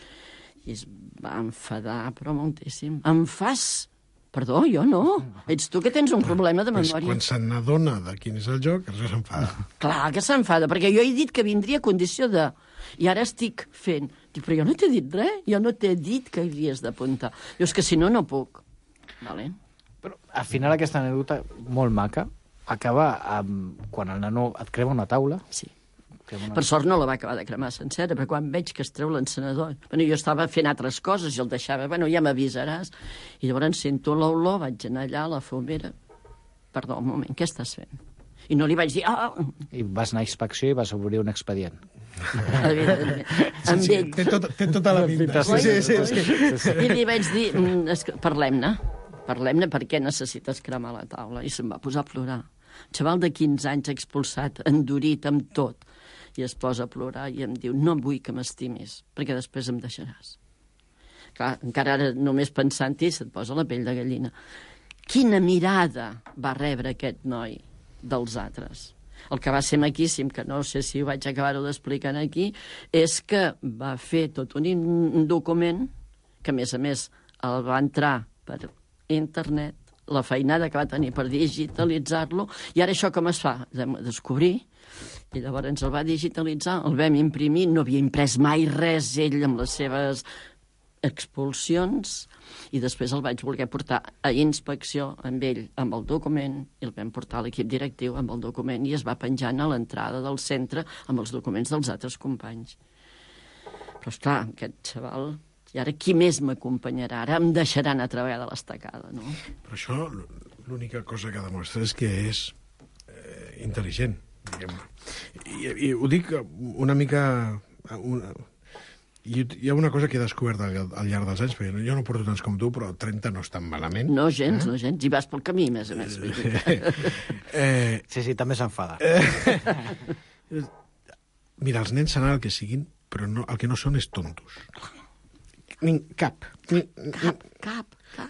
i es va enfadar, però moltíssim. Em fas... Perdó, jo no. Ets tu que tens un problema de memòria. Quan se n'adona de quin és el joc, això s'enfada. Clar que s'enfada, perquè jo he dit que vindria a condició de... I ara estic fent... Dic, però jo no t'he dit res, jo no t'he dit que havies d'apuntar. Diu, és que si no, no puc. Vale. Però al final aquesta anècdota molt maca acaba amb... quan el nano et crema una taula. Sí. Per sort no la va acabar de cremar sencera, perquè quan veig que es treu l'encenedor... Bueno, jo estava fent altres coses i el deixava... Bueno, ja m'avisaràs. I llavors sento l'olor, vaig anar allà a la fumera. Perdó, un moment, què estàs fent? I no li vaig dir... I vas anar a inspecció i vas obrir un expedient. Amb ell. Té tota la pinta. Sí. I li vaig dir... Parlem-ne. Parlem-ne perquè necessites cremar la taula. I se'm va posar a plorar. Un xaval de 15 anys expulsat, endurit amb tot. I es posa a plorar i em diu, no vull que m'estimis, perquè després em deixaràs. Clar, encara ara només pensant-hi se't posa la pell de gallina. Quina mirada va rebre aquest noi dels altres? El que va ser maquíssim, que no sé si ho vaig acabar-ho d'explicar aquí, és que va fer tot un document que, a més, el va entrar per internet, la feinada que va tenir per digitalitzar-lo, i ara això com es fa? Hem de descobrir, i llavors ens el va digitalitzar, el vam imprimir, no havia imprès mai res ell amb les seves expulsions, i després el vaig voler portar a inspecció amb ell, amb el document, i el vam portar a l'equip directiu amb el document, i es va penjant a l'entrada del centre amb els documents dels altres companys. Però, esclar, aquest xaval... I ara qui més m'acompanyarà? Ara em deixaran a treballar de l'estacada, no? Però això, l'única cosa que demostra és que és intel·ligent, diguem-ne. I ho dic una mica... Hi ha una cosa que he descobert al llarg dels anys, perquè jo no porto tants com tu, però 30 no és tan malament. No, gens, no, gens. I vas pel camí, més a més. Sí, també s'enfada. Mira, els nens seran el que siguin, però el que no són és tontos. Cap.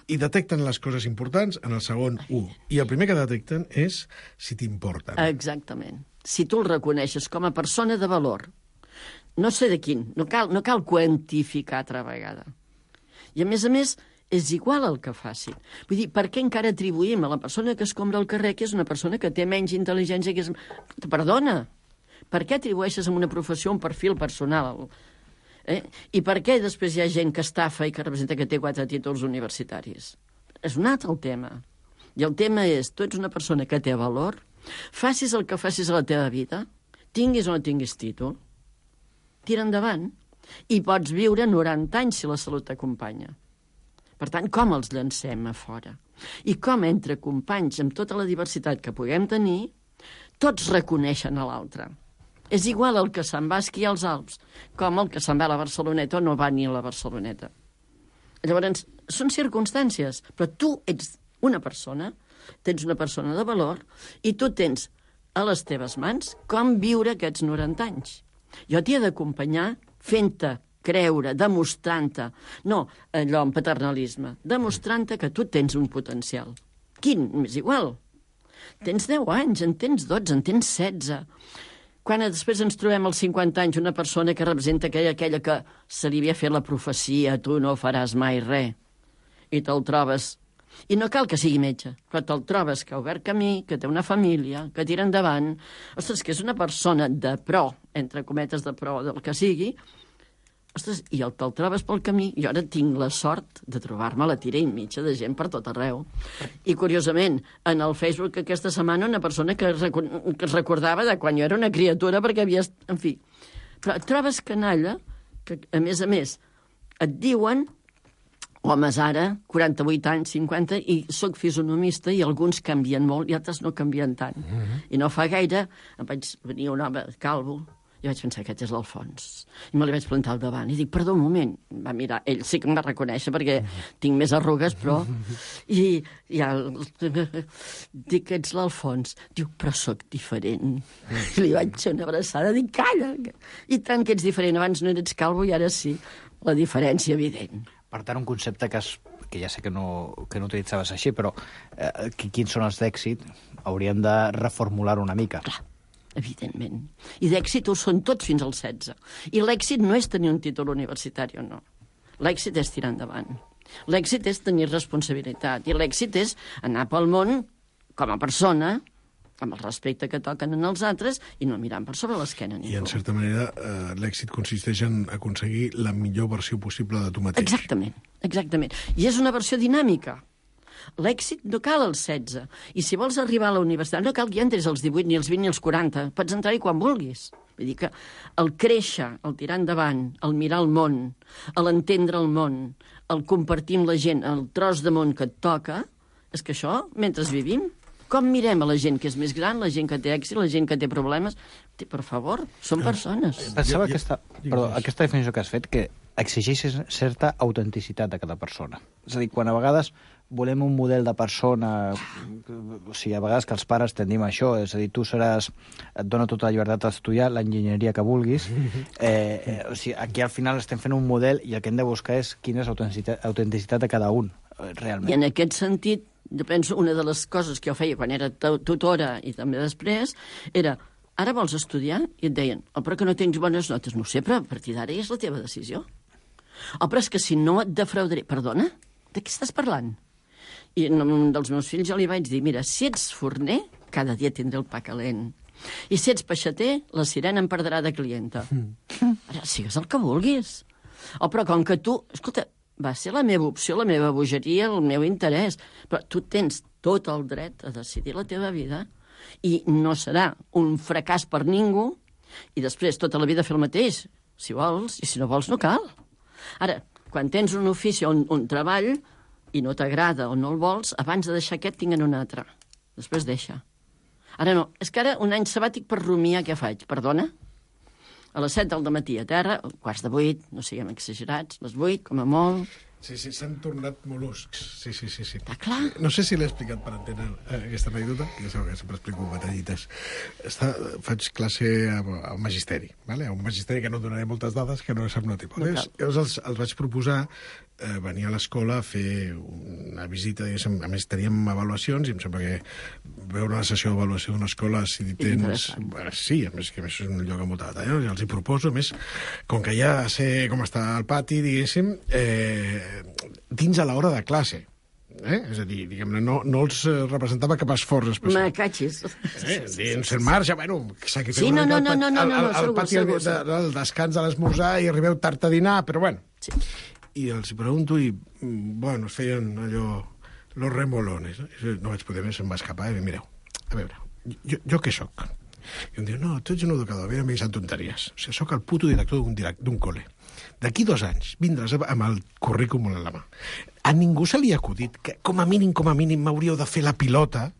I detecten les coses importants en el segon 1. I el primer que detecten és si t'importen. Exactament. Si tu el reconeixes com a persona de valor, no sé de quin, no cal quantificar altra vegada. I a més, és igual el que facin. Vull dir, per què encara atribuïm a la persona que escombra al carrer que és una persona que té menys intel·ligència que és... Perdona, per què atribueixes a una professió un perfil personal? I per què després hi ha gent que estafa i que representa que té 4 títols universitaris? És un altre el tema. I el tema és, tu ets una persona que té valor, facis el que facis a la teva vida, tinguis o no tinguis títol, tira endavant, i pots viure 90 anys si la salut t'acompanya. Per tant, com els llancem a fora? I com entre companys, amb tota la diversitat que puguem tenir, tots reconeixen a l'altre. És igual el que se'n va a esquiar als Alps, com el que se'n va a la Barceloneta o no va ni a la Barceloneta. Llavors, són circumstàncies, però tu ets una persona, tens una persona de valor, i tu tens a les teves mans com viure aquests 90 anys. Jo t'hi he d'acompanyar fent-te creure, demostrant-te, no allò en paternalisme, demostrant-te que tu tens un potencial. Quin? M'és igual. Tens 10 anys, en tens 12, en tens 16. Quan després ens trobem als 50 anys una persona que representa aquella que se li havia fet la profecia, tu no faràs mai res, i te'l trobes, i no cal que sigui metge, però te'l trobes que ha obert camí, que té una família, que tira endavant, ostres, que és una persona de pro, entre cometes de pro del que sigui, ostres, i te'l trobes pel camí, i ara tinc la sort de trobar-me a la tira i mitja de gent per tot arreu. I, curiosament, en el Facebook aquesta setmana una persona que es recordava de quan jo era una criatura perquè havia... En fi, però et trobes canalla que, a més, et diuen homes ara, 48 anys, 50, i sóc fisonomista i alguns canvien molt i altres no canvien tant. I no fa gaire em vaig venir un home calvo i vaig pensar, aquest és l'Alfons. I me li vaig plantar al davant i dic, perdó un moment. Va mirar, ell sí que em va reconèixer perquè tinc més arrugues, però... I ja... Dic, ets l'Alfons. Diu, però sóc diferent. I li vaig fer una abraçada, dic, calla! I tant que ets diferent, abans no eres calvo i ara sí. La diferència evident. Per tant, un concepte que ja sé que no utilitzaves així, però quins són els d'èxit, hauríem de reformular una mica. Clar. Evidentment. I d'èxit ho són tots fins als 16. I l'èxit no és tenir un títol universitari o no. L'èxit és tirar endavant. L'èxit és tenir responsabilitat. I l'èxit és anar pel món com a persona, amb el respecte que toquen en els altres i no mirant per sobre l'esquena ningú. I, en certa manera, l'èxit consisteix en aconseguir la millor versió possible de tu mateix. Exactament. I és una versió dinàmica. L'èxit no cal als 16. I si vols arribar a la universitat, no cal que entris als 18, ni als 20, ni als 40. Pots entrar-hi quan vulguis. Vull dir que el créixer, el tirar endavant, el mirar el món, l'entendre el món, el compartir amb la gent, el tros de món que et toca, és que això, mentre vivim, com mirem a la gent que és més gran, la gent que té èxit, la gent que té problemes? Per favor, són persones. Pensava aquesta definició que has fet, que exigeix certa autenticitat de cada persona. És a dir, quan a vegades volem un model de persona, o sigui, a vegades que els pares tendim a això, és a dir, tu seràs, et dona tota la llibertat d'estudiar l'enginyeria que vulguis, o sigui, aquí al final estem fent un model i el que hem de buscar és quina és l'autenticitat de cada un, realment. I en aquest sentit, jo penso, una de les coses que jo feia quan era tutora i també després, era, ara vols estudiar? I et deien, però que no tens bones notes. No ho sé, però a partir d'ara és la teva decisió. Però és que si no et defraudaré... Perdona? De què estàs parlant? I a un dels meus fills jo li vaig dir, mira, si ets forner, cada dia tindré el pa calent. I si ets peixater, la sirena em perdrà de clienta. Ara, sigues el que vulguis. Però com que tu... Escolta, va ser la meva opció, la meva bogeria, el meu interès. Però tu tens tot el dret a decidir la teva vida i no serà un fracàs per ningú i després tota la vida fer el mateix, si vols, i si no vols no cal. Ara, quan tens un ofici o un treball i no t'agrada o no el vols, abans de deixar aquest tinguen un altre. Després deixa. Ara no, és que ara un any sabàtic per rumiar què faig, perdona? a les 7 del matí a terra, quarts de 8, no siguem exagerats, les 8, com a molt. Sí, s'han tornat mol·luscs. Sí. Està clar. No sé si l'he explicat per entendre aquesta anècdota, que ja sabeu que sempre explico batallites. Faig classe al magisteri, ¿vale? A un magisteri que no donaré moltes dades, que no sap no tipus. Llavors els vaig proposar venir a l'escola a fer una visita, diguéssim. A més, teníem avaluacions i em sembla que veure una sessió d'avaluació d'una escola, si tens... Sí, a més que és un lloc amb molta batalla, no? I els hi proposo, a més, com que ja sé com està el pati, diguéssim, dins a l'hora de classe. És a dir, diguem-ne, no els representava cap esforç especial. Me catxis. Dins el marge, bueno... Sí, no, al pati del descans de l'esmorzar i arribeu tard a dinar, però bueno. Sí. I els pregunto i, bueno, es feien allò, los remolones. No vaig poder més, em va escapar i mireu, a veure, jo què soc? I em diu, no, tu ets un educador, a veure, m'hi sant tonteries. O sigui, soc el puto director d'un col·le. D'aquí 2 anys vindràs amb el currículum a la mà. A ningú se li ha acudit que, com a mínim, m'hauríeu de fer la pilota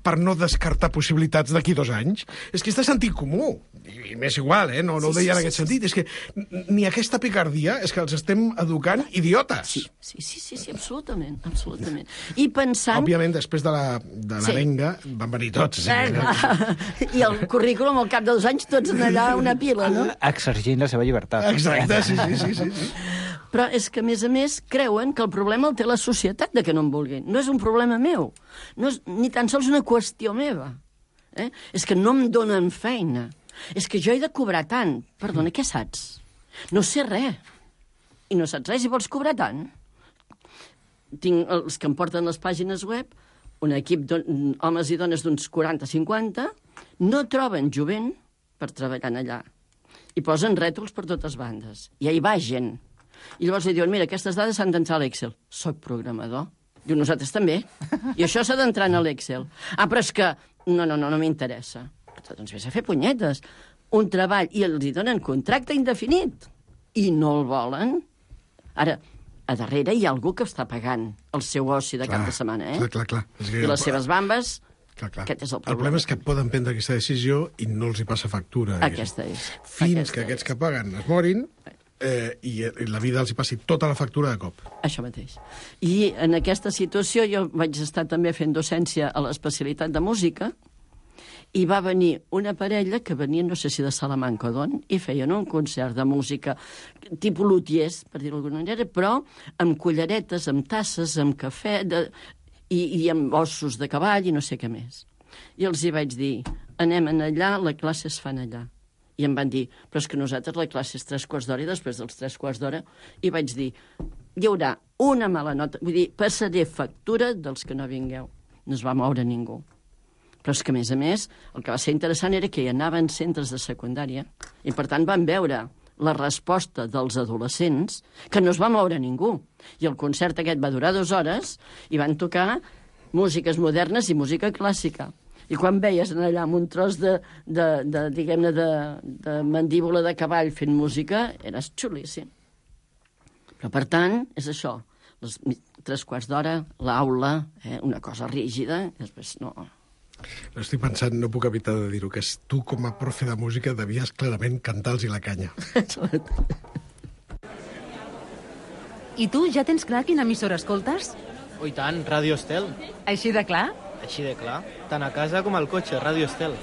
per no descartar possibilitats d'aquí 2 anys. És que és de sentit comú. I m'és igual, no ho deia en aquest sentit. És que ni aquesta picardia és que els estem educant idiotes. Sí, absolutament. I pensant... Òbviament, després de l'arenga van venir tots. I el currículum, al cap de 2 anys, tots en allà una pila, no? Exergint la seva llibertat. Exacte, sí. Però és que, a més, creuen que el problema el té la societat de que no en vulguin. No és un problema meu. No és ni tan sols una qüestió meva. És que no em donen feina. És que jo he de cobrar tant. Perdona, què saps? No sé res. I no saps res i vols cobrar tant? Tinc els que em porten les pàgines web, un equip d'homes i dones d'uns 40-50, no troben jovent per treballar allà. I posen rètols per totes bandes. I hi va gent. I llavors li diuen, mira, aquestes dades s'han d'entrar a l'Excel. Soc programador. Diu, nosaltres també. I això s'ha d'entrar en l'Excel. Ah, però és que... No m'interessa. Doncs vés a fer punyetes. Un treball, i els hi donen contracte indefinit. I no el volen. Ara, a darrere hi ha algú que està pagant el seu oci de cap de setmana, Clar. I les seves bambes... Clar. Aquest és el problema. El problema és que poden prendre aquesta decisió i no els hi passa factura. Aquesta és. Fins que aquests que paguen es morin i la vida els hi passi tota la factura de cop. Això mateix. I en aquesta situació jo vaig estar també fent docència a l'especialitat de música i va venir una parella que venia, no sé si de Salamanca o d'on, i feien un concert de música tipus lutiers, per dir-ho d'alguna manera, però amb culleretes, amb tasses, amb cafè... I amb ossos de cavall i no sé què més. I els hi vaig dir, anem allà, la classe es fan allà. I em van dir, però és que nosaltres la classe és 3/4 d'hora i després dels 3/4 d'hora... I vaig dir, hi haurà una mala nota, vull dir, passaré factura dels que no vingueu. No es va moure ningú. Però és que, a més, el que va ser interessant era que hi anaven centres de secundària i, per tant, van veure la resposta dels adolescents, que no es va moure ningú. I el concert aquest va durar 2 hores i van tocar músiques modernes i música clàssica. I quan veies allà amb un tros de mandíbula de cavall fent música, eres xulíssim. Però, per tant, és això. Les 3/4 d'hora, l'aula, una cosa rígida, i després no... No estic pensant, no puc evitar de dir-ho, que tu, com a profe de música, devies clarament cantar-los la canya. I tu, ja tens clar quina emissora escoltes? Oh, i tant, Ràdio Estel. Així de clar? Així de clar. Tant a casa com al cotxe, Ràdio Estel.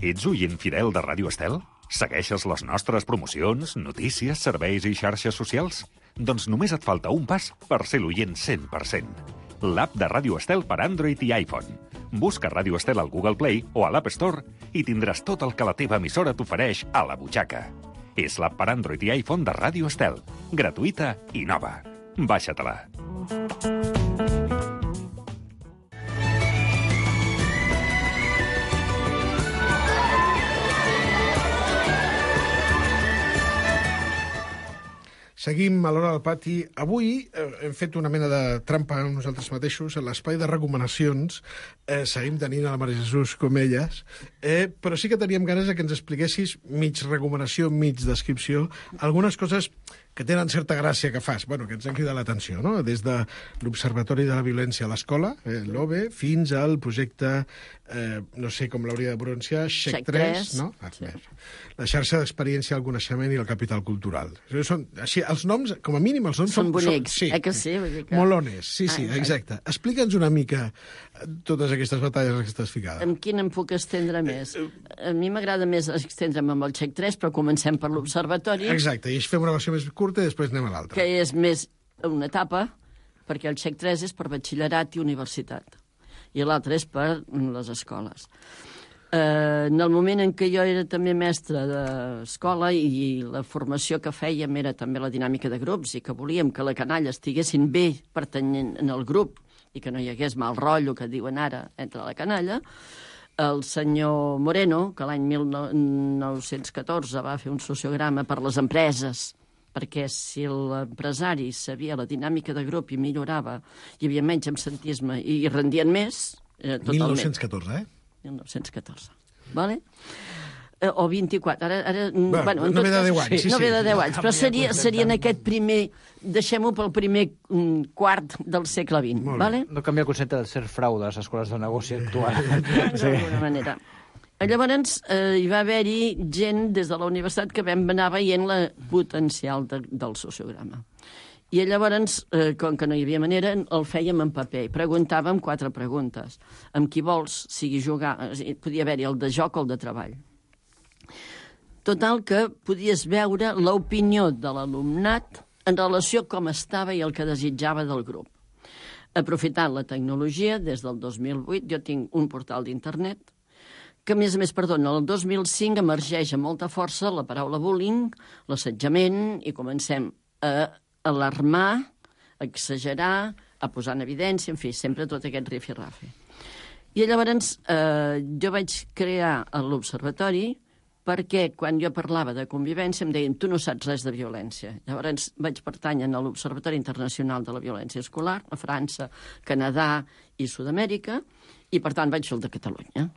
Ets oient fidel de Ràdio Estel? Segueixes les nostres promocions, notícies, serveis i xarxes socials? Doncs només et falta un pas per ser l'oient 100%. L'app de Ràdio Estel per Android i iPhone. Busca Ràdio Estel al Google Play o a l'App Store i tindràs tot el que la teva emissora t'ofereix a la butxaca. És l'app per Android i iPhone de Ràdio Estel. Gratuïta i nova. Baixa-te-la. Seguim a l'Hora del Pati. Avui hem fet una mena de trampa amb nosaltres mateixos. A l'espai de recomanacions seguim tenint a la Maria Jesús com elles, però sí que teníem ganes que ens expliquessis, mig recomanació, mig descripció, algunes coses que tenen certa gràcia que fas, que ens han cridat l'atenció, no? Des de l'Observatori de la Violència a l'Escola, l'OVE, fins al projecte, no sé com l'hauria de pronunciar, XEC3, no? Sí. La xarxa d'experiència del coneixement i el capital cultural. Són, així, els noms, com a mínim, els noms són bonics, sí, que sí? Vull dir que... Molones, sí, exacte. Explica'ns una mica totes aquestes batalles que estàs ficada. Amb quin em puc estendre més? A mi m'agrada més estendre'm amb el XEC3, però comencem per l'Observatori. Exacte, i fem una versió més curta i després anem a l'altra. Que és més una etapa, perquè el XEC3 és per batxillerat i universitat, i l'altre és per les escoles. En el moment en què jo era també mestra d'escola i la formació que fèiem era també la dinàmica de grups i que volíem que la canalla estiguessin bé pertanyent en el grup i que no hi hagués mal rotllo, que diuen ara, entre la canalla, el senyor Moreno, que l'any 1914 va fer un sociograma per les empreses, perquè si l'empresari sabia la dinàmica de grup i millorava, hi havia menys absentisme i rendien més, totalment. 1914, 1914, vale? O 24, ara bueno, no ve de 10 anys. No ve de 10 anys, però seria en aquest primer... Deixem-ho pel primer quart del segle XX, vale? No canvia el concepte de ser frau de les escoles de negoci actual. D'alguna manera. Llavors, hi va haver-hi gent des de la universitat que vam anar veient la potencial del sociograma. I llavors, com que no hi havia manera, el fèiem en paper. Preguntàvem 4 preguntes. Amb qui vols, sigui jugar... Podia haver-hi el de joc o el de treball. Total, que podies veure l'opinió de l'alumnat en relació a com estava i el que desitjava del grup. Aprofitant la tecnologia, des del 2008, jo tinc un portal d'internet que, a més, perdona, el 2005 emergeix amb molta força la paraula bullying, l'assetjament, i comencem a alarmar, a exagerar, a posar en evidència, en fi, sempre tot aquest rifirrafe. I llavors jo vaig crear l'Observatori perquè quan jo parlava de convivència em deien tu no saps res de violència. Llavors vaig pertànyer a l'Observatori Internacional de la Violència Escolar, a França, Canadà i Sud-amèrica, i per tant vaig fer el de Catalunya.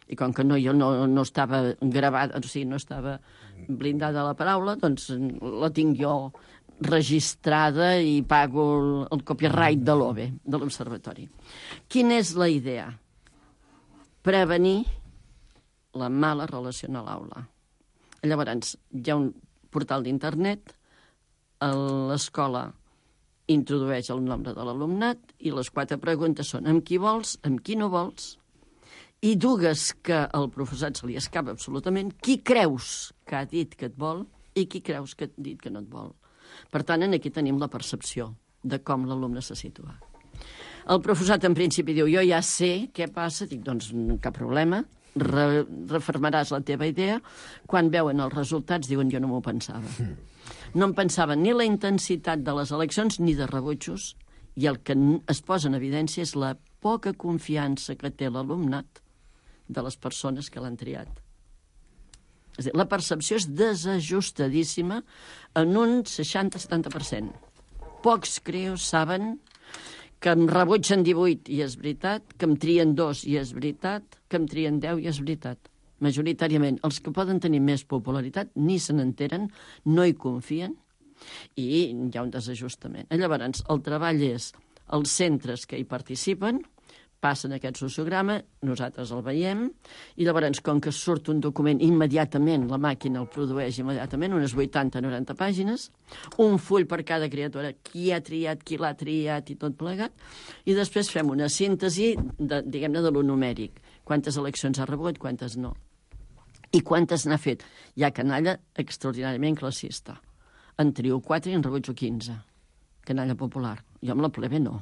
I com que jo no estava gravada, o sigui, no estava blindada la paraula, doncs la tinc jo registrada i pago el copyright de l'OVE, de l'Observatori. Quina és la idea? Prevenir la mala relació a l'aula. Llavors, hi ha un portal d'internet, l'escola introdueix el nombre de l'alumnat i les 4 preguntes són amb qui vols, amb qui no vols, i dues que al professorat se li escapa absolutament, qui creus que ha dit que et vol i qui creus que ha dit que no et vol. Per tant, aquí tenim la percepció de com l'alumne se situa. El professorat, en principi, diu, jo ja sé què passa, dic, doncs cap problema, refermaràs la teva idea. Quan veuen els resultats diuen, jo no m'ho pensava. No em pensava ni la intensitat de les eleccions ni de rebutjos, i el que es posa en evidència és la poca confiança que té l'alumnat de les persones que l'han triat. És a dir, la percepció és desajustadíssima en un 60-70%. Pocs creus saben que em rebutgen 18 i és veritat, que em trien 2 i és veritat, que em trien 10 i és veritat. Majoritàriament, els que poden tenir més popularitat ni se n'enteren, no hi confien i hi ha un desajustament. Llavors, el treball és els centres que hi participen, passen aquest sociograma, nosaltres el veiem, i llavors, com que surt un document immediatament, la màquina el produeix immediatament, unes 80-90 pàgines, un full per cada criatura, qui ha triat, qui l'ha triat i tot plegat, i després fem una síntesi, diguem-ne, de lo numèric. Quantes eleccions ha rebut, quantes no. I quantes n'ha fet. Hi ha canalla extraordinàriament classista. En trio 4 i en rebutjo 15. Canalla popular. Jo amb la plebe no.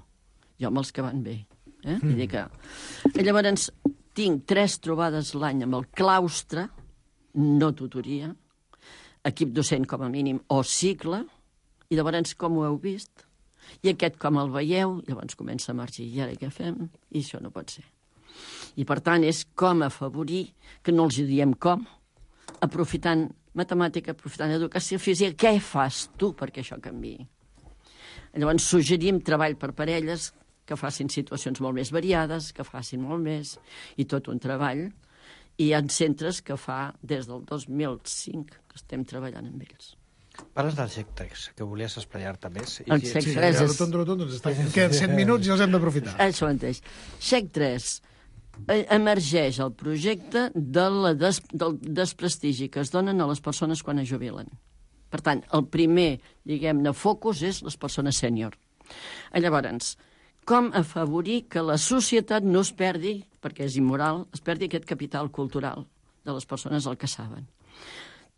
Jo amb els que van bé. Vull dir que... Llavors, tinc 3 trobades l'any amb el claustre, no tutoria, equip docent com a mínim, o cicle, i llavors com ho heu vist? I aquest com el veieu? Llavors comença a emergir, i ara què fem? I això no pot ser. I per tant és com afavorir, que no els diem com, aprofitant matemàtica, aprofitant educació física, què fas tu perquè això canviï? Llavors suggerim treball per parelles, que facin situacions molt més variades, que facin molt més, i tot un treball. I hi ha centres que fa des del 2005 que estem treballant amb ells. Parles del XEC3, que volies esplaiar-te més. El XEC3 és... Queden 7 minuts i els hem d'aprofitar. Això mateix. XEC3 emergeix el projecte del desprestigi que es donen a les persones quan es jubilen. Per tant, el primer, diguem-ne, focus és les persones sènior. Llavors, com afavorir que la societat no es perdi, perquè és immoral, es perdi aquest capital cultural de les persones el que saben.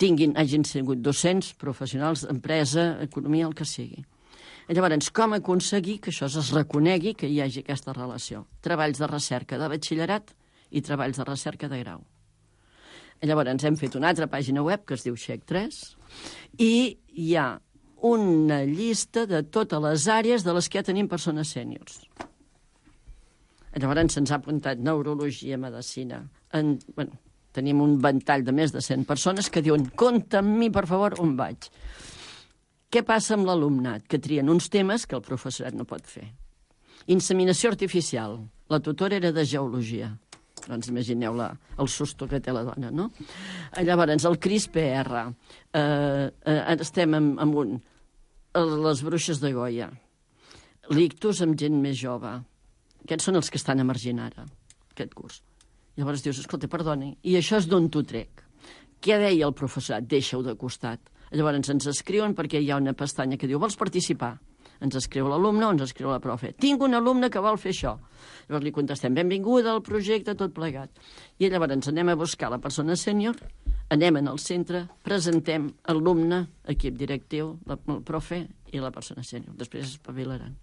Hagin sigut docents, professionals, empresa, economia, el que sigui. Llavors, com aconseguir que això es reconegui, que hi hagi aquesta relació? Treballs de recerca de batxillerat i treballs de recerca de grau. Llavors, hem fet una altra pàgina web que es diu XEC3 i hi ha una llista de totes les àrees de les que ja tenim persones sèniors. Llavors se'ns ha apuntat neurologia, medicina. Tenim un ventall de més de 100 persones que diuen compta amb mi, per favor, on vaig. Què passa amb l'alumnat? Que trien uns temes que el professorat no pot fer. Inseminació artificial. La tutora era de geologia. Doncs imagineu el susto que té la dona, no? Llavors, el CRISPR. Estem amb les bruixes de Goya. L'ictus amb gent més jove. Aquests són els que estan emergint ara, aquest curs. Llavors dius, escolta, perdoni, i això és d'on t'ho trec? Què deia el professorat? Deixa-ho de costat. Llavors ens escriuen perquè hi ha una pestanya que diu, vols participar? Ens escriu l'alumne o ens escriu la profe. Tinc un alumne que vol fer això. Llavors li contestem, benvinguda al projecte, tot plegat. I llavors anem a buscar la persona sènior, anem en el centre, presentem alumne, equip directiu, el profe i la persona sènior. Després es espavilaran.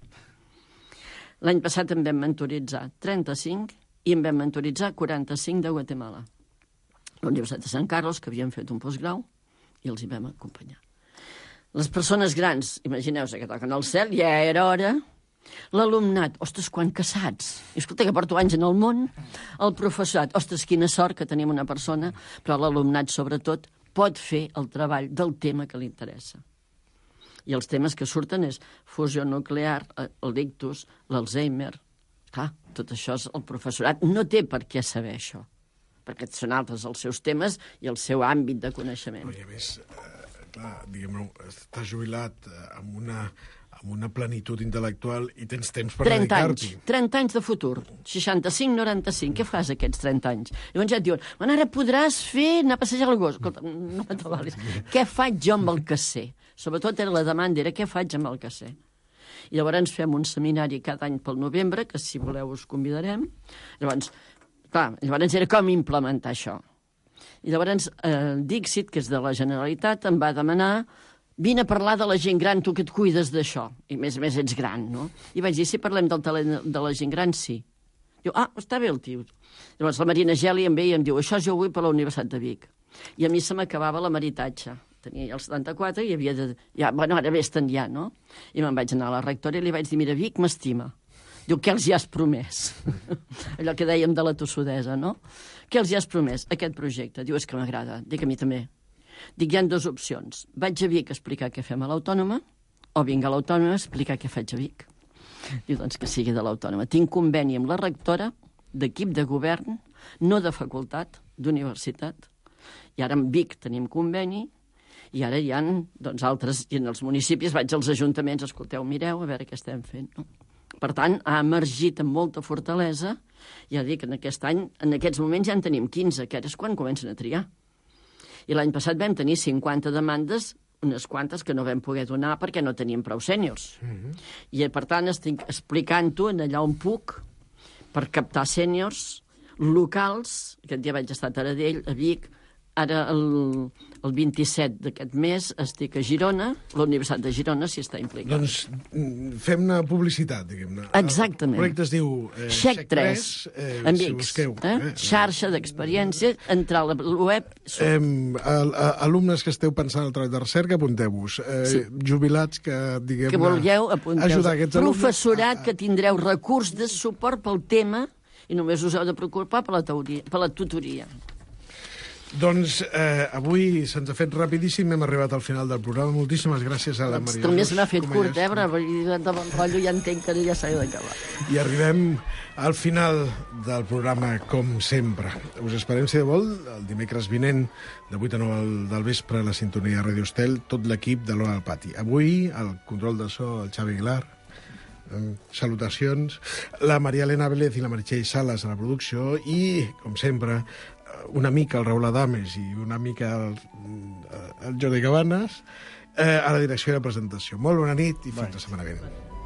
L'any passat en vam mentoritzar 35 i en vam mentoritzar 45 de Guatemala. La Universitat de Sant Carlos, que havien fet un postgrau, i els hi vam acompanyar. Les persones grans, imagineu-se que toquen al cel, ja era hora. L'alumnat, ostres, quan casats. I escolta, que porto anys en el món. El professorat, ostres, quina sort que tenim una persona, però l'alumnat, sobretot, pot fer el treball del tema que li interessa. I els temes que surten és fusió nuclear, l'ictus, l'Alzheimer. Clar, tot això el professorat no té per què saber això, perquè són altres els seus temes i el seu àmbit de coneixement. I a més, clar, diguem-ne, estàs jubilat amb una plenitud intel·lectual i tens temps per dedicar-t'hi. 30 anys de futur, 65-95, què fas aquests 30 anys? Llavors ja et diuen, ara podràs anar a passejar el gos. Escolta, no t'avalis. Què faig jo amb el que sé? Sobretot la demanda era què faig amb el que sé. I llavors ens fem un seminari cada any pel novembre, que si voleu us convidarem. Llavors era com implementar això. I llavors Dixit, que és de la Generalitat, em va demanar vine a parlar de la gent gran, tu que et cuides d'això. I a més ets gran, no? I vaig dir, si parlem del talent de la gent gran, sí. Diu, està bé el tio. Llavors la Marina Geli em ve i em diu, això jo vull per la Universitat de Vic. I a mi se m'acabava la meritatge. Tenia ja el 74 i havia de... ara vés-te'n ja, no? I me'n vaig anar a la rectora i li vaig dir, mira, Vic m'estima. Diu, què els hi has promès? Allò que dèiem de la tossudesa, no? Què els hi has promès? Aquest projecte. Diu, és que m'agrada. Dic, a mi també. Dic, hi ha dues opcions. Vaig a Vic a explicar què fem a l'Autònoma o vinc a l'Autònoma a explicar què faig a Vic. Diu, doncs que sigui de l'Autònoma. Tinc conveni amb la rectora d'equip de govern, no de facultat, d'universitat. I ara amb Vic tenim conveni i ara hi ha altres, i en els municipis vaig als ajuntaments, escolteu, mireu, a veure què estem fent, no? Per tant, ha emergit amb molta fortalesa. Ja dic, en aquest any, en aquests moments ja en tenim 15, que ara és quan comencen a triar. I l'any passat vam tenir 50 demandes, unes quantes que no vam poder donar perquè no teníem prou sèniors. I, per tant, estic explicant-ho en allà on puc per captar sèniors locals. Aquest dia vaig estar a Taradell, a Vic. Ara, el 27 d'aquest mes, estic a Girona. La Universitat de Girona s'hi està implicant. Doncs fem-ne publicitat, diguem-ne. Exactament. El projecte es diu XEC3, si busqueu. Xarxa d'experiència, entrar a la web. Alumnes que esteu pensant en el treball de recerca, apunteu-vos. Jubilats que, diguem-ne... Que vulgueu, apunteu-vos. Ajudar aquests alumnes. Professorat que tindreu recurs de suport pel tema i només us heu de preocupar per la tutoria. Doncs avui se'ns ha fet rapidíssim, hem arribat al final del programa. Moltíssimes gràcies a la Maria Jesús. També se n'ha fet curt, però de bon rotllo ja entenc que ja s'ha d'acabar. I arribem al final del programa, com sempre. Us esperem, si de vol, el dimecres vinent, de 8 a 9 del vespre, a la sintonia de Radio Estel, tot l'equip de l'Hora del Pati. Avui, el control de so, el Xavi Aguilar, salutacions, la Maria Elena Vélez i la Meritxell Sales a la producció i, com sempre, una mica el Raül Adames i una mica el Jordi Cabanes a la direcció i la presentació. Molt bona nit i fins la setmana vinent.